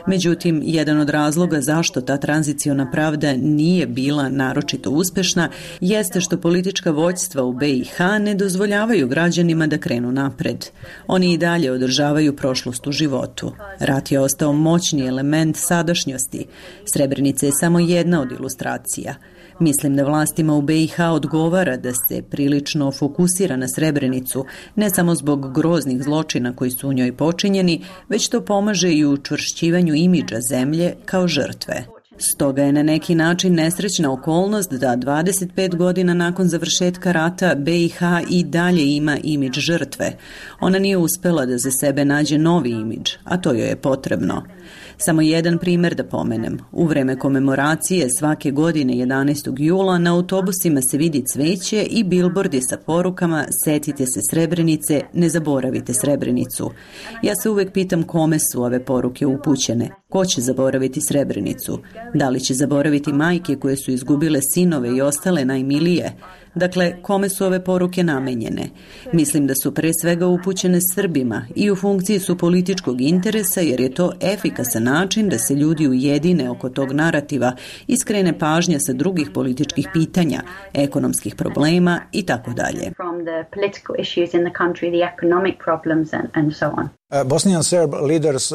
Međutim, jedan od razloga zašto ta tranziciona pravda nije bila naročito uspešna jeste što politička vođstva u be i ha ne dozvoljavaju građanima da krenu napred. Oni i dalje održavaju prošlost u životu. Rat je ostao moćni element sadašnjosti. Srebrenica je samo jedna od ilustracija. Mislim da vlastima u be i ha odgovara da se prilično fokusira na Srebrenicu, ne samo zbog groznih zločina koji su u njoj počinjeni, već to pomaže i u učvršćivanju imidža zemlje kao žrtve. Stoga je na neki način nesrećna okolnost da dvadeset pet godina nakon završetka rata be i ha i dalje ima imidž žrtve. Ona nije uspela da za sebe nađe novi imidž, a to joj je potrebno. Samo jedan primjer da pomenem. U vreme komemoracije svake godine jedanaestog jula na autobusima se vidi cveće i bilbordi sa porukama setite se Srebrenice, ne zaboravite Srebrenicu. Ja se uvek pitam kome su ove poruke upućene. Ko će zaboraviti Srebrenicu? Da li će zaboraviti majke koje su izgubile sinove i ostale najmilije? Dakle, kome su ove poruke namenjene? Mislim da su pre svega upućene Srbima i u funkciji su političkog interesa jer je to efikasan način da se ljudi ujedine oko tog narativa i skrene pažnja sa drugih političkih pitanja, ekonomskih problema i tako dalje. Bosnian Serb leaders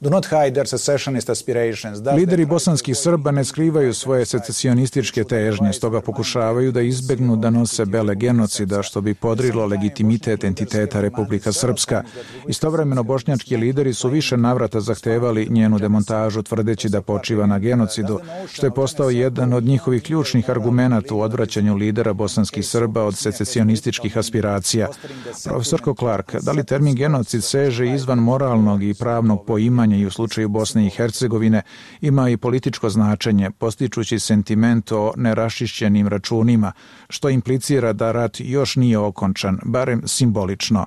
do not hide their secessionist aspirations. Lideri bosanskih Srba ne skrivaju svoje secesionističke težnje, stoga pokušavaju da izbegnu da nose bele genocida, što bi podrilo legitimitet entiteta Republika Srpska. Istovremeno bošnjački lideri su više navrata zahtevali njenu demontažu, tvrdeći da počiva na genocidu, što je postao jedan od njihovih ključnih argumenata u odvraćanju lidera bosanskih Srba od secesionističkih aspiracija. Profesorko Clark, da li termin genocid seže izvan moralnog i pravnog poimanja i u slučaju Bosne i Hercegovine ima i političko značenje, postičući sentiment o neraščišćenim računima, što implicira da rat još nije okončan, barem simbolično.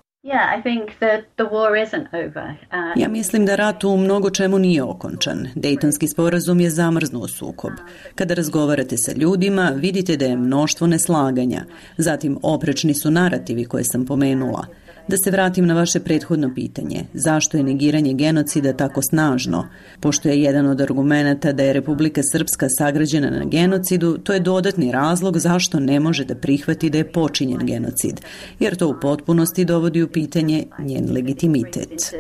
Ja mislim da rat u mnogo čemu nije okončan. Dejtonski sporazum je zamrznuo sukob. Kada razgovarate sa ljudima, vidite da je mnoštvo neslaganja. Zatim, oprečni su narativi koje sam pomenula. Da se vratim na vaše prethodno pitanje. Zašto je negiranje genocida tako snažno? Pošto je jedan od argumenata da je Republika Srpska sagrađena na genocidu, to je dodatni razlog zašto ne može da prihvati da je počinjen genocid, jer to u potpunosti dovodi u pitanje njen legitimitet.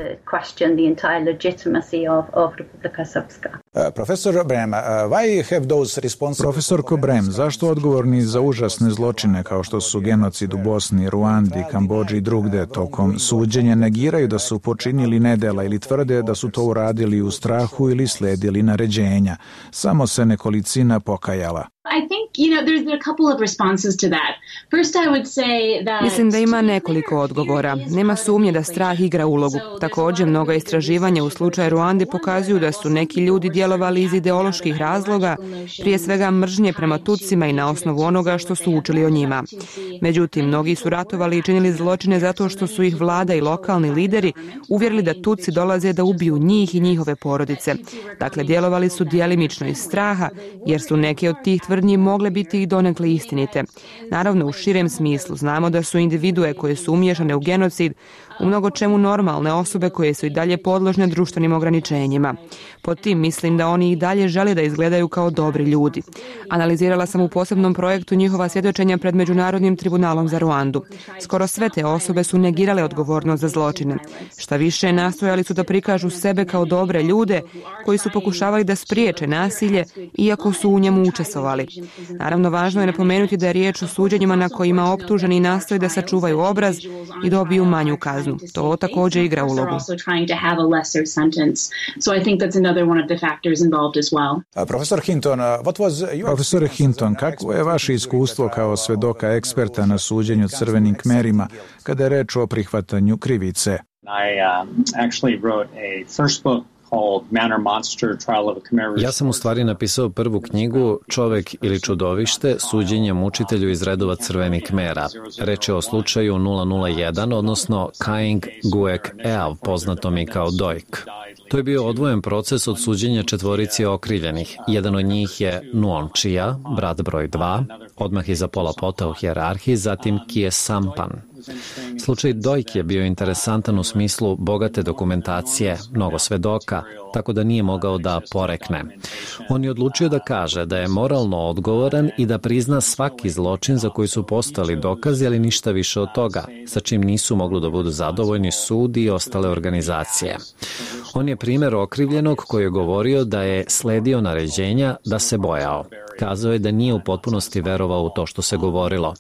Profesor Brem, why have those responsible... Profesorko Brem, zašto odgovorni za užasne zločine kao što su genocid u Bosni, Ruandi, Kambodži i drugde tokom suđenja negiraju da su počinili nedela ili tvrde da su to uradili u strahu ili sledili naređenja? Samo se nekolicina pokajala. I think, you know, there's a couple of responses to that. First, I would say that... Mislim da ima nekoliko odgovora. Nema sumnje da strah igra ulogu. Također, mnoga istraživanja u slučaju Ruande pokazuju da su neki ljudi djelovali iz ideoloških razloga, prije svega mržnje prema Tutsima i na osnovu onoga što su učili o njima. Međutim, mnogi su ratovali i činili zločine zato što su ih vlada i lokalni lideri uvjerili da Tutsi dolaze da ubiju njih i njihove porodice. Dakle, djelovali su djelimično iz straha, jer su neke od tih tvrdnji mogle biti i donekle istinite. Naravno, u širem smislu znamo da su individue koje su umiješane u genocid u mnogo čemu normalne osobe koje su i dalje podložne društvenim ograničenjima. Pod tim mislim da oni i dalje žele da izgledaju kao dobri ljudi. Analizirala sam u posebnom projektu njihova svjedočenja pred Međunarodnim tribunalom za Ruandu. Skoro sve te osobe su negirale odgovornost za zločine. Šta više, nastojali su da prikažu sebe kao dobre ljude koji su pokušavali da spriječe nasilje, iako su u njemu učestvovali. Naravno, važno je napomenuti da je riječ o suđenjima na kojima optuženi nastoje da sačuvaju obraz i dobiju manju kaznu. To također igra ulogu. Profesor Hinton, what was your... Profesor Hinton, kako je vaše iskustvo kao svedoka eksperta na suđenju crvenim kmerima kada je reč o prihvatanju krivice? I um, actually wrote a first book. Ja sam u stvari napisao prvu knjigu Čovek ili čudovište, suđenje mučitelju iz redova crvenih kmera. Reč je o slučaju nula nula jedan, odnosno Kaing Guek Eav, poznatom i kao Dojk. To je bio odvojen proces od suđenja četvorici okrivljenih. Jedan od njih je Nuon Chia, brat broj dva, odmah iza Pola Pota u hijerarhiji, zatim Kie Sampan. Slučaj Dojk je bio interesantan u smislu bogate dokumentacije, mnogo svedoka, tako da nije mogao da porekne. On je odlučio da kaže da je moralno odgovoran i da prizna svaki zločin za koji su postali dokazi, ali ništa više od toga, sa čim nisu mogli da budu zadovoljni sud i ostale organizacije. On je primjer okrivljenog koji je govorio da je sledio naređenja, da se bojao. Kazao je da nije u potpunosti verovao u to što se govorilo.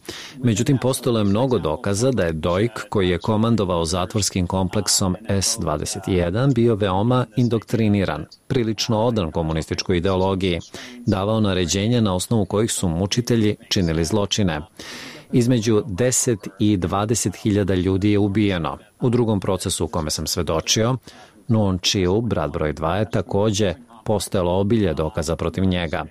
Međutim, postojalo je mnogo dokaza da je Dojk, koji je komandovao zatvorskim kompleksom S dvadeset jedan, bio veoma indoktriniran, prilično odan komunističkoj ideologiji, davao naređenja na osnovu kojih su mučitelji činili zločine. Između deset i dvadeset hiljada ljudi je ubijeno. U drugom procesu u kome sam svedočio, Nuon Chiu, brat broj dva, je također postojalo obilje dokaza protiv njega.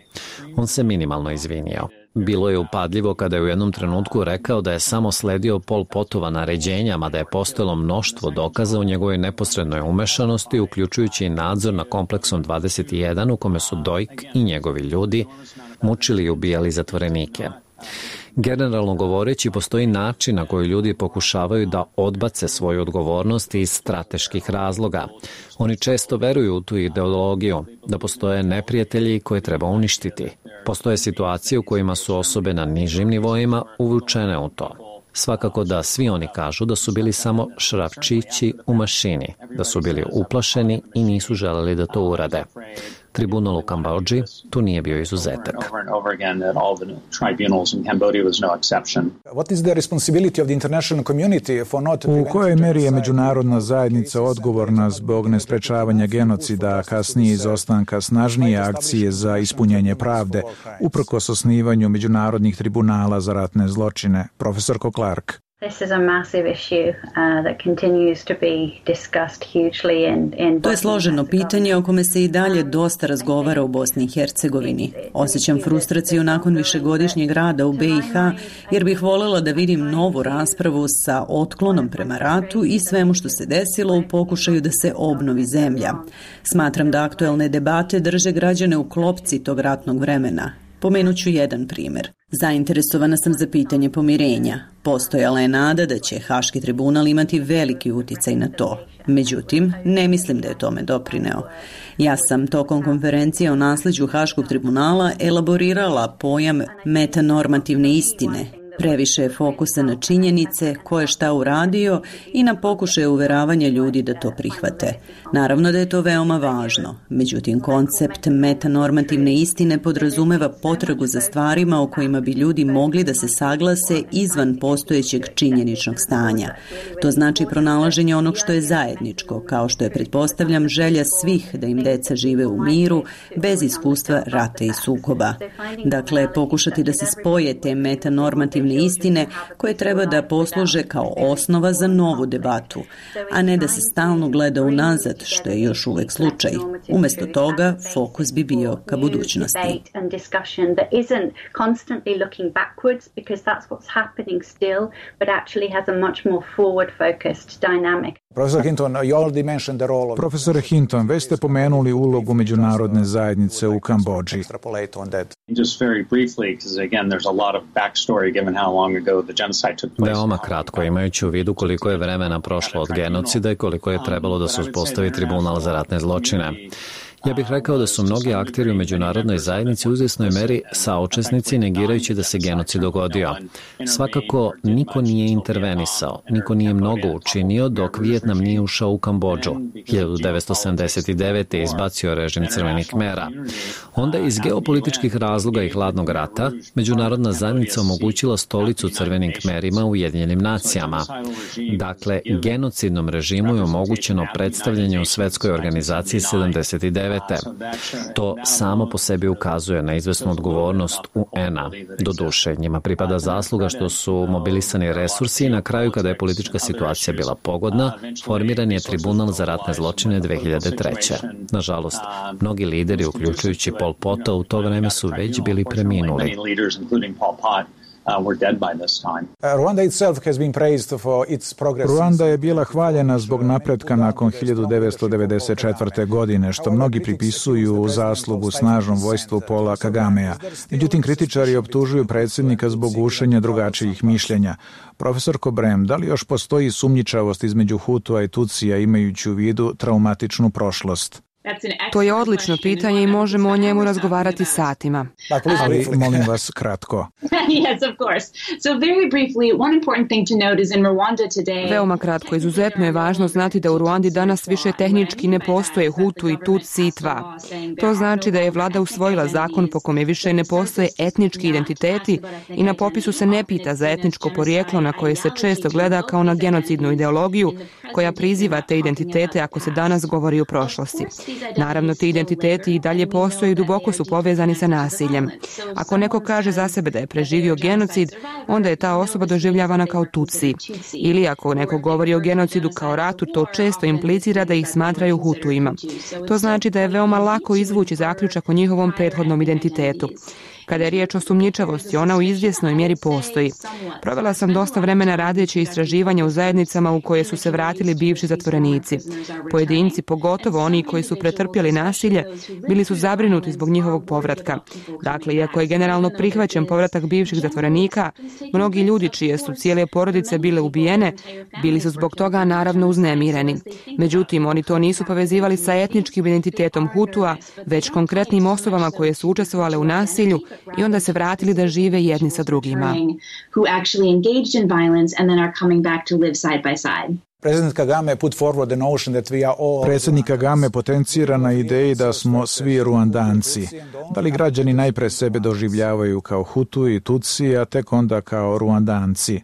On se minimalno izvinio. Bilo je upadljivo kada je u jednom trenutku rekao da je samo sledio Pol Potova naređenja, mada je postojalo mnoštvo dokaza u njegovoj neposrednoj umešanosti, uključujući i nadzor na kompleksom dvadeset jedan u kome su Dojk i njegovi ljudi mučili i ubijali zatvorenike. Generalno govoreći, postoji način na koji ljudi pokušavaju da odbace svoju odgovornost iz strateških razloga. Oni često veruju u tu ideologiju, da postoje neprijatelji koje treba uništiti. Postoje situacije u kojima su osobe na nižim nivoima uvučene u to. Svakako da svi oni kažu da su bili samo šrafčići u mašini, da su bili uplašeni i nisu želeli da to urade. Tribunal u Kambodži tu nije bio izuzetak. U kojoj meri je međunarodna zajednica odgovorna zbog nesprečavanja genocida, a kasnije izostanka snažnije akcije za ispunjenje pravde, uprkos osnivanju međunarodnih tribunala za ratne zločine? Profesorko Clark. This is a massive issue uh, that continues to be discussed hugely in, in To je složeno pitanje o kome se i dalje dosta razgovara u Bosni i Hercegovini. Osjećam frustraciju nakon višegodišnjeg rada u B i H jer bih voljela da vidim novu raspravu sa otklonom prema ratu i svemu što se desilo u pokušaju da se obnovi zemlja. Smatram da aktuelne debate drže građane u klopci tog ratnog vremena. Pomenut ću jedan primjer. Zainteresovana sam za pitanje pomirenja. Postojala je nada da će Haški tribunal imati veliki uticaj na to. Međutim, ne mislim da je tome doprineo. Ja sam tokom konferencije o nasljeđu Haškog tribunala elaborirala pojam metanormativne istine. Previše je fokusa na činjenice, ko je šta uradio i na pokušaje uveravanja ljudi da to prihvate. Naravno da je to veoma važno, međutim koncept metanormativne istine podrazumeva potragu za stvarima o kojima bi ljudi mogli da se saglase izvan postojećeg činjeničnog stanja. To znači pronalaženje onog što je zajedničko, kao što je, pretpostavljam, želja svih da im deca žive u miru, bez iskustva rata i sukoba. Dakle, pokušati da se spoje te metanormativne istine koje treba da posluže kao osnova za novu debatu, a ne da se stalno gleda unazad, što je još uvek slučaj. Umjesto toga, fokus bi bio ka budućnosti. Profesore Hinton, već ste pomenuli ulogu međunarodne zajednice u Kambodži. Veoma kratko, imajući u vidu koliko je vremena prošlo od genocida i koliko je trebalo da se uspostavi tribunal za ratne zločine. Ja bih rekao da su mnogi akteri u međunarodnoj zajednici u izvjesnoj meri saučesnici negirajući da se genocid dogodio. Svakako, niko nije intervenisao, niko nije mnogo učinio dok Vijetnam nije ušao u Kambodžu. hiljadu devetsto sedamdeset devete. je izbacio režim crvenih Khmera. Onda iz geopolitičkih razloga i hladnog rata, međunarodna zajednica omogućila stolicu crvenim Khmerima u Ujedinjenim nacijama. Dakle, genocidnom režimu je omogućeno predstavljanje u svetskoj organizaciji sedamdeset devete. To samo po sebi ukazuje na izvesnu odgovornost U N-a. Doduše, njima pripada zasluga što su mobilisani resursi i na kraju, kada je politička situacija bila pogodna, formiran je tribunal za ratne zločine dve hiljade treće. Nažalost, mnogi lideri, uključujući Pol Pota, u to vreme su već bili preminuli. Ruanda je bila hvaljena zbog napretka nakon hiljadu devetsto devedeset četvrte. godine, što mnogi pripisuju zaslugu snažnom vojstvu Paula Kagamea. Međutim, kritičari optužuju predsjednika zbog gušenja drugačijih mišljenja. Profesor Kobrem, da li još postoji sumnjičavost između Hutua i Tutsija imajući u vidu traumatičnu prošlost? To je odlično pitanje i možemo o njemu razgovarati satima. Ali molim vas kratko. Veoma kratko. Izuzetno je važno znati da u Ruandi danas više tehnički ne postoje Hutu i Tutsi i Tva. To znači da je vlada usvojila zakon po kome više ne postoje etnički identiteti i na popisu se ne pita za etničko porijeklo na koje se često gleda kao na genocidnu ideologiju koja priziva te identitete ako se danas govori o prošlosti. Naravno, ti identiteti i dalje postoje i duboko su povezani sa nasiljem. Ako neko kaže za sebe da je preživio genocid, onda je ta osoba doživljavana kao Tutsi. Ili ako neko govori o genocidu kao ratu, to često implicira da ih smatraju Hutuima. To znači da je veoma lako izvući zaključak o njihovom prethodnom identitetu. Kada je riječ o sumnjičavosti, ona u izvjesnoj mjeri postoji. Provela sam dosta vremena radeći istraživanja u zajednicama u koje su se vratili bivši zatvorenici. Pojedinci, pogotovo oni koji su pretrpjeli nasilje, bili su zabrinuti zbog njihovog povratka. Dakle, iako je generalno prihvaćen povratak bivših zatvorenika, mnogi ljudi čije su cijele porodice bile ubijene, bili su zbog toga naravno uznemireni. Međutim, oni to nisu povezivali sa etničkim identitetom Hutua, već konkretnim osobama koje su učestvovale u nasilju i onda se vratili da žive jedni sa drugima. Predsjednik Kagame put forward the notion that we are all... Predsjednik Kagame potencira na ideji da smo svi Ruandanci. Da li građani najpre sebe doživljavaju kao Hutu i Tutsi, a tek onda kao Ruandanci?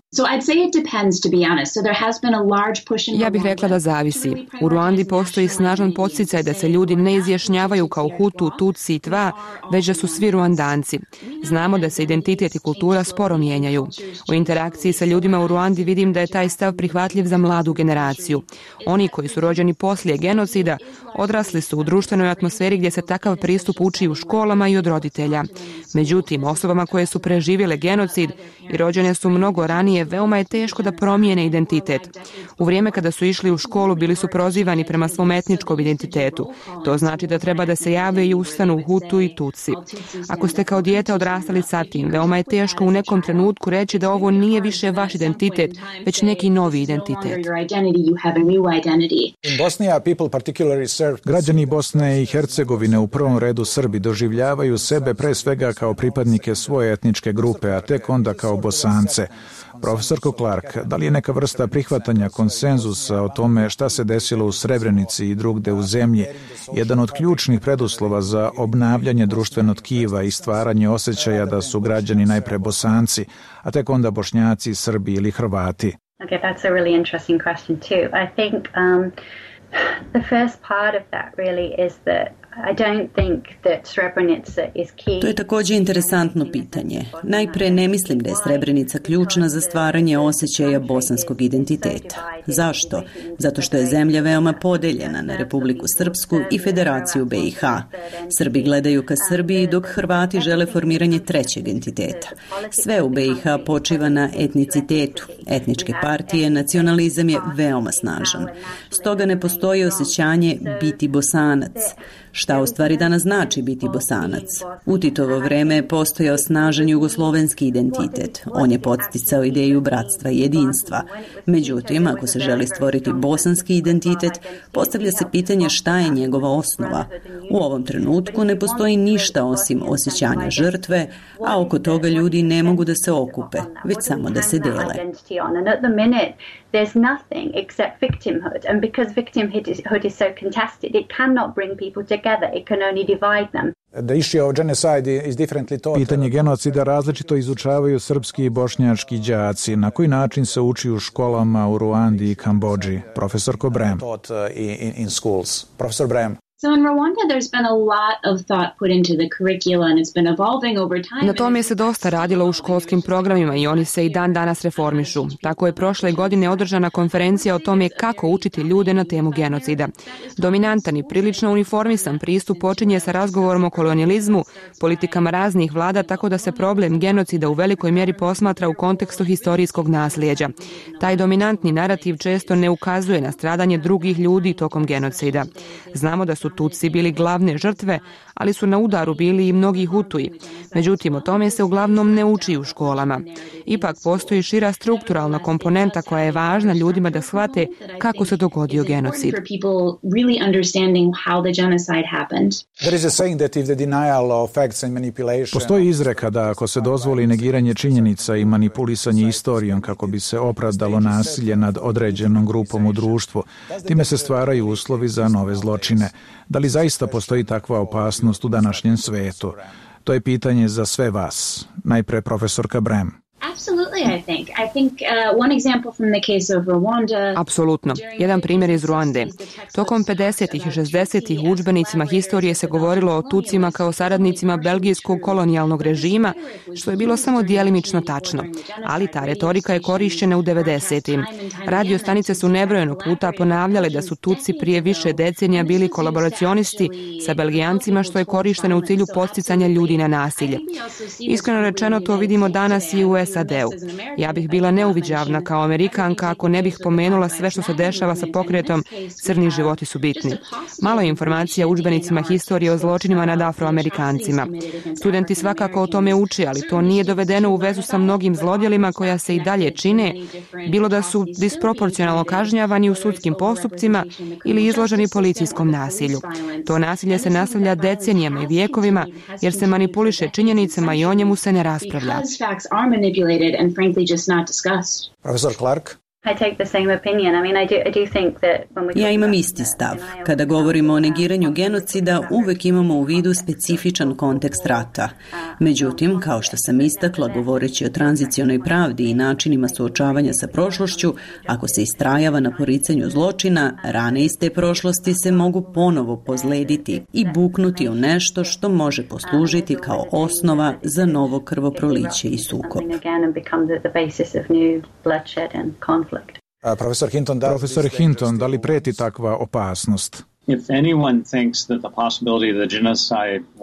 Ja bih rekla da zavisi. U Ruandi postoji snažan podsticaj da se ljudi ne izjašnjavaju kao Hutu, Tutsi i Tva, već da su svi Ruandanci. Znamo da se identitet i kultura sporo mijenjaju. U interakciji sa ljudima u Ruandi vidim da je taj stav prihvatljiv za mladu generaciju. Oni koji su rođeni poslije genocida odrasli su u društvenoj atmosferi gdje se takav pristup uči u školama i od roditelja. Međutim, osobama koje su preživjele genocid i rođene su mnogo ranije, veoma je teško da promijene identitet. U vrijeme kada su išli u školu bili su prozivani prema svom etničkom identitetu. To znači da treba da se jave i ustanu Hutu i Tutsi. Ako ste kao dijete odrastali sa tim, veoma je teško u nekom trenutku reći da ovo nije više vaš identitet, već neki novi identitet. In Bosnia, people particularly Građani Bosne i Hercegovine, u prvom redu Srbi, doživljavaju sebe pre svega kao pripadnike svoje etničke grupe, a tek onda kao Bosance. Profesorko Clark, da li je neka vrsta prihvatanja konsenzusa o tome šta se desilo u Srebrenici i drugde u zemlji jedan od ključnih preduslova za obnavljanje društvenog tkiva i stvaranje osjećaja da su građani najpre Bosanci, a tek onda Bošnjaci, Srbi ili Hrvati? Okay, that's a really interesting question too. I think um, the first part of that really is that I don't think that Srebrenica is key. To je također interesantno pitanje. Najpre ne mislim da je Srebrenica ključna za stvaranje osjećaja bosanskog identiteta. Zašto? Zato što je zemlja veoma podeljena na Republiku Srpsku i Federaciju B i H. Srbi gledaju ka Srbiji dok Hrvati žele formiranje trećeg entiteta. Sve u B i H počiva na etnicitetu. Etničke partije, nacionalizam je veoma snažan. Stoga ne postoji osjećanje biti Bosanac. Šta u stvari danas znači biti Bosanac? U Titovo vreme je postojao snažan jugoslovenski identitet. On je podsticao ideju bratstva i jedinstva. Međutim, ako se želi stvoriti bosanski identitet, postavlja se pitanje šta je njegova osnova. U ovom trenutku ne postoji ništa osim osjećanja žrtve, a oko toga ljudi ne mogu da se okupe, već samo da se dele. There's nothing except victimhood, and because victimhood is so contested, it cannot bring people together, it can only divide them. Pitanje genocida različito izučavaju srpski i bošnjački đaci. Na koji način se uči u školama u Ruandi i Kambodži? Profesorko Brem. Profesor Brem. So in Rwanda, there's been a lot of thought put into the curricula and it's been evolving over time. Na tome se dosta radilo u školskim programima i oni se i dan danas reformišu. Tako je prošle godine održana konferencija o tome kako učiti ljude na temu genocida. Dominantan i prilično uniformisan pristup počinje sa razgovorom o kolonijalizmu, politikama raznih vlada, tako da se problem genocida u velikoj mjeri posmatra u kontekstu historijskog nasljeđa. Taj dominantni narativ često ne ukazuje na stradanje drugih ljudi tokom genocida. Znamo da su Tutsi bili glavne žrtve, ali su na udaru bili i mnogi Hutuji. Međutim, o tome se uglavnom ne uči u školama. Ipak postoji šira strukturalna komponenta koja je važna ljudima da shvate kako se dogodio genocid. Postoji izreka da ako se dozvoli negiranje činjenica i manipulisanje istorijom kako bi se opravdalo nasilje nad određenom grupom u društvu, time se stvaraju uslovi za nove zločine. Da li zaista postoji takva opasnost u današnjem svetu? To je pitanje za sve vas. Najpre profesorka Brem. Absolutely, I think. I think uh, one example from the case of Rwanda. Apsolutno. Jedan primjer iz Ruande. Tokom pedesetih i šezdesetih u udžbenicima historije se govorilo o Tutsima kao saradnicima belgijskog kolonijalnog režima, što je bilo samo djelimično tačno. Ali ta retorika je korišćena u devedesetim. Radio stanice su nebrojeno puta ponavljale da su Tutsi prije više decenija bili kolaboracionisti sa Belgijancima, što je korišteno u cilju podsticanja ljudi na nasilje. Iskreno rečeno, to vidimo danas i u S A D-u. Ja bih bila neuviđavna kao Amerikanka ako ne bih pomenula sve što se dešava sa pokretom Crni životi su bitni. Malo je informacija u udžbenicima historije o zločinima nad Afroamerikancima. Studenti svakako o tome uče, ali to nije dovedeno u vezu sa mnogim zlodjelima koja se i dalje čine, bilo da su disproporcionalno kažnjavani u sudskim postupcima ili izloženi policijskom nasilju. To nasilje se nastavlja decenijama i vijekovima jer se manipuliše činjenicama i o njemu se ne raspravlja. And frankly just not discussed. Professor Clark. I take the same opinion. I mean, I do, I do think that when we Ja imam isti stav. Kada govorimo o negiranju genocida, uvek imamo u vidu specifičan kontekst rata. Međutim, kao što sam istakla, govoreći o tranzicionoj pravdi i načinima suočavanja sa prošlošću, ako se istrajava na poricanju zločina, rane iz te prošlosti se mogu ponovo pozlediti i buknuti u nešto što može poslužiti kao osnova za novo krvoproliće i sukob. Profesor Hinton, da, Profesor Hinton, da li preti takva opasnost?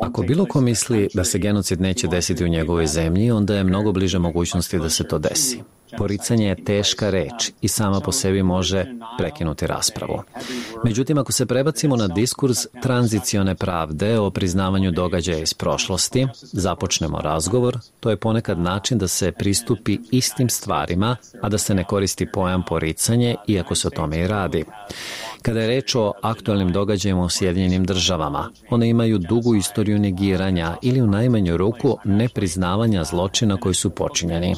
Ako bilo ko misli da se genocid neće desiti u njegovoj zemlji, onda je mnogo bliže mogućnosti da se to desi. Poricanje je teška reč i sama po sebi može prekinuti raspravu. Međutim, ako se prebacimo na diskurs tranzicione pravde o priznavanju događaja iz prošlosti, započnemo razgovor, to je ponekad način da se pristupi istim stvarima, a da se ne koristi pojam poricanje, iako se o tome i radi. Kada je reč o aktualnim događajima u Sjedinjenim državama, one imaju dugu istoriju negiranja ili u najmanju ruku nepriznavanja zločina koji su počinjeni.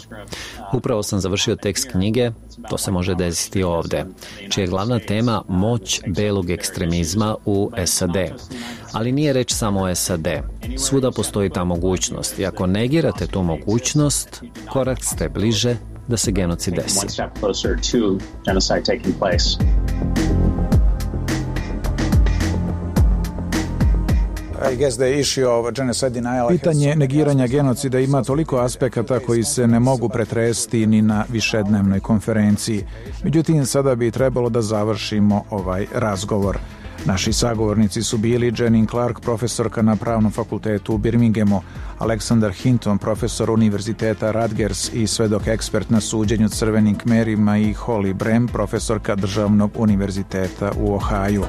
Upravo sam završio tekst knjige To se može desiti ovde, čija je glavna tema moć belog ekstremizma u S A D. Ali nije reč samo o S A D. Svuda postoji ta mogućnost i ako negirate tu mogućnost, korak ste bliže da se genocid desi. Pitanje negiranja genocida ima toliko aspekata koji se ne mogu pretresti ni na višednevnoj konferenciji. Međutim, sada bi trebalo da završimo ovaj razgovor. Naši sagovornici su bili Jenin Clark, profesorka na Pravnom fakultetu u Birminghamu, Aleksandar Hinton, profesor Univerziteta Rutgers i svedok ekspert na suđenju crvenim kmerima, i Holly Brem, profesorka Državnog univerziteta u Ohaju.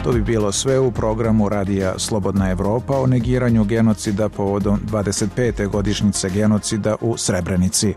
To bi bilo sve u programu Radija Slobodna Evropa o negiranju genocida povodom dvadeset pete godišnjice genocida u Srebrenici.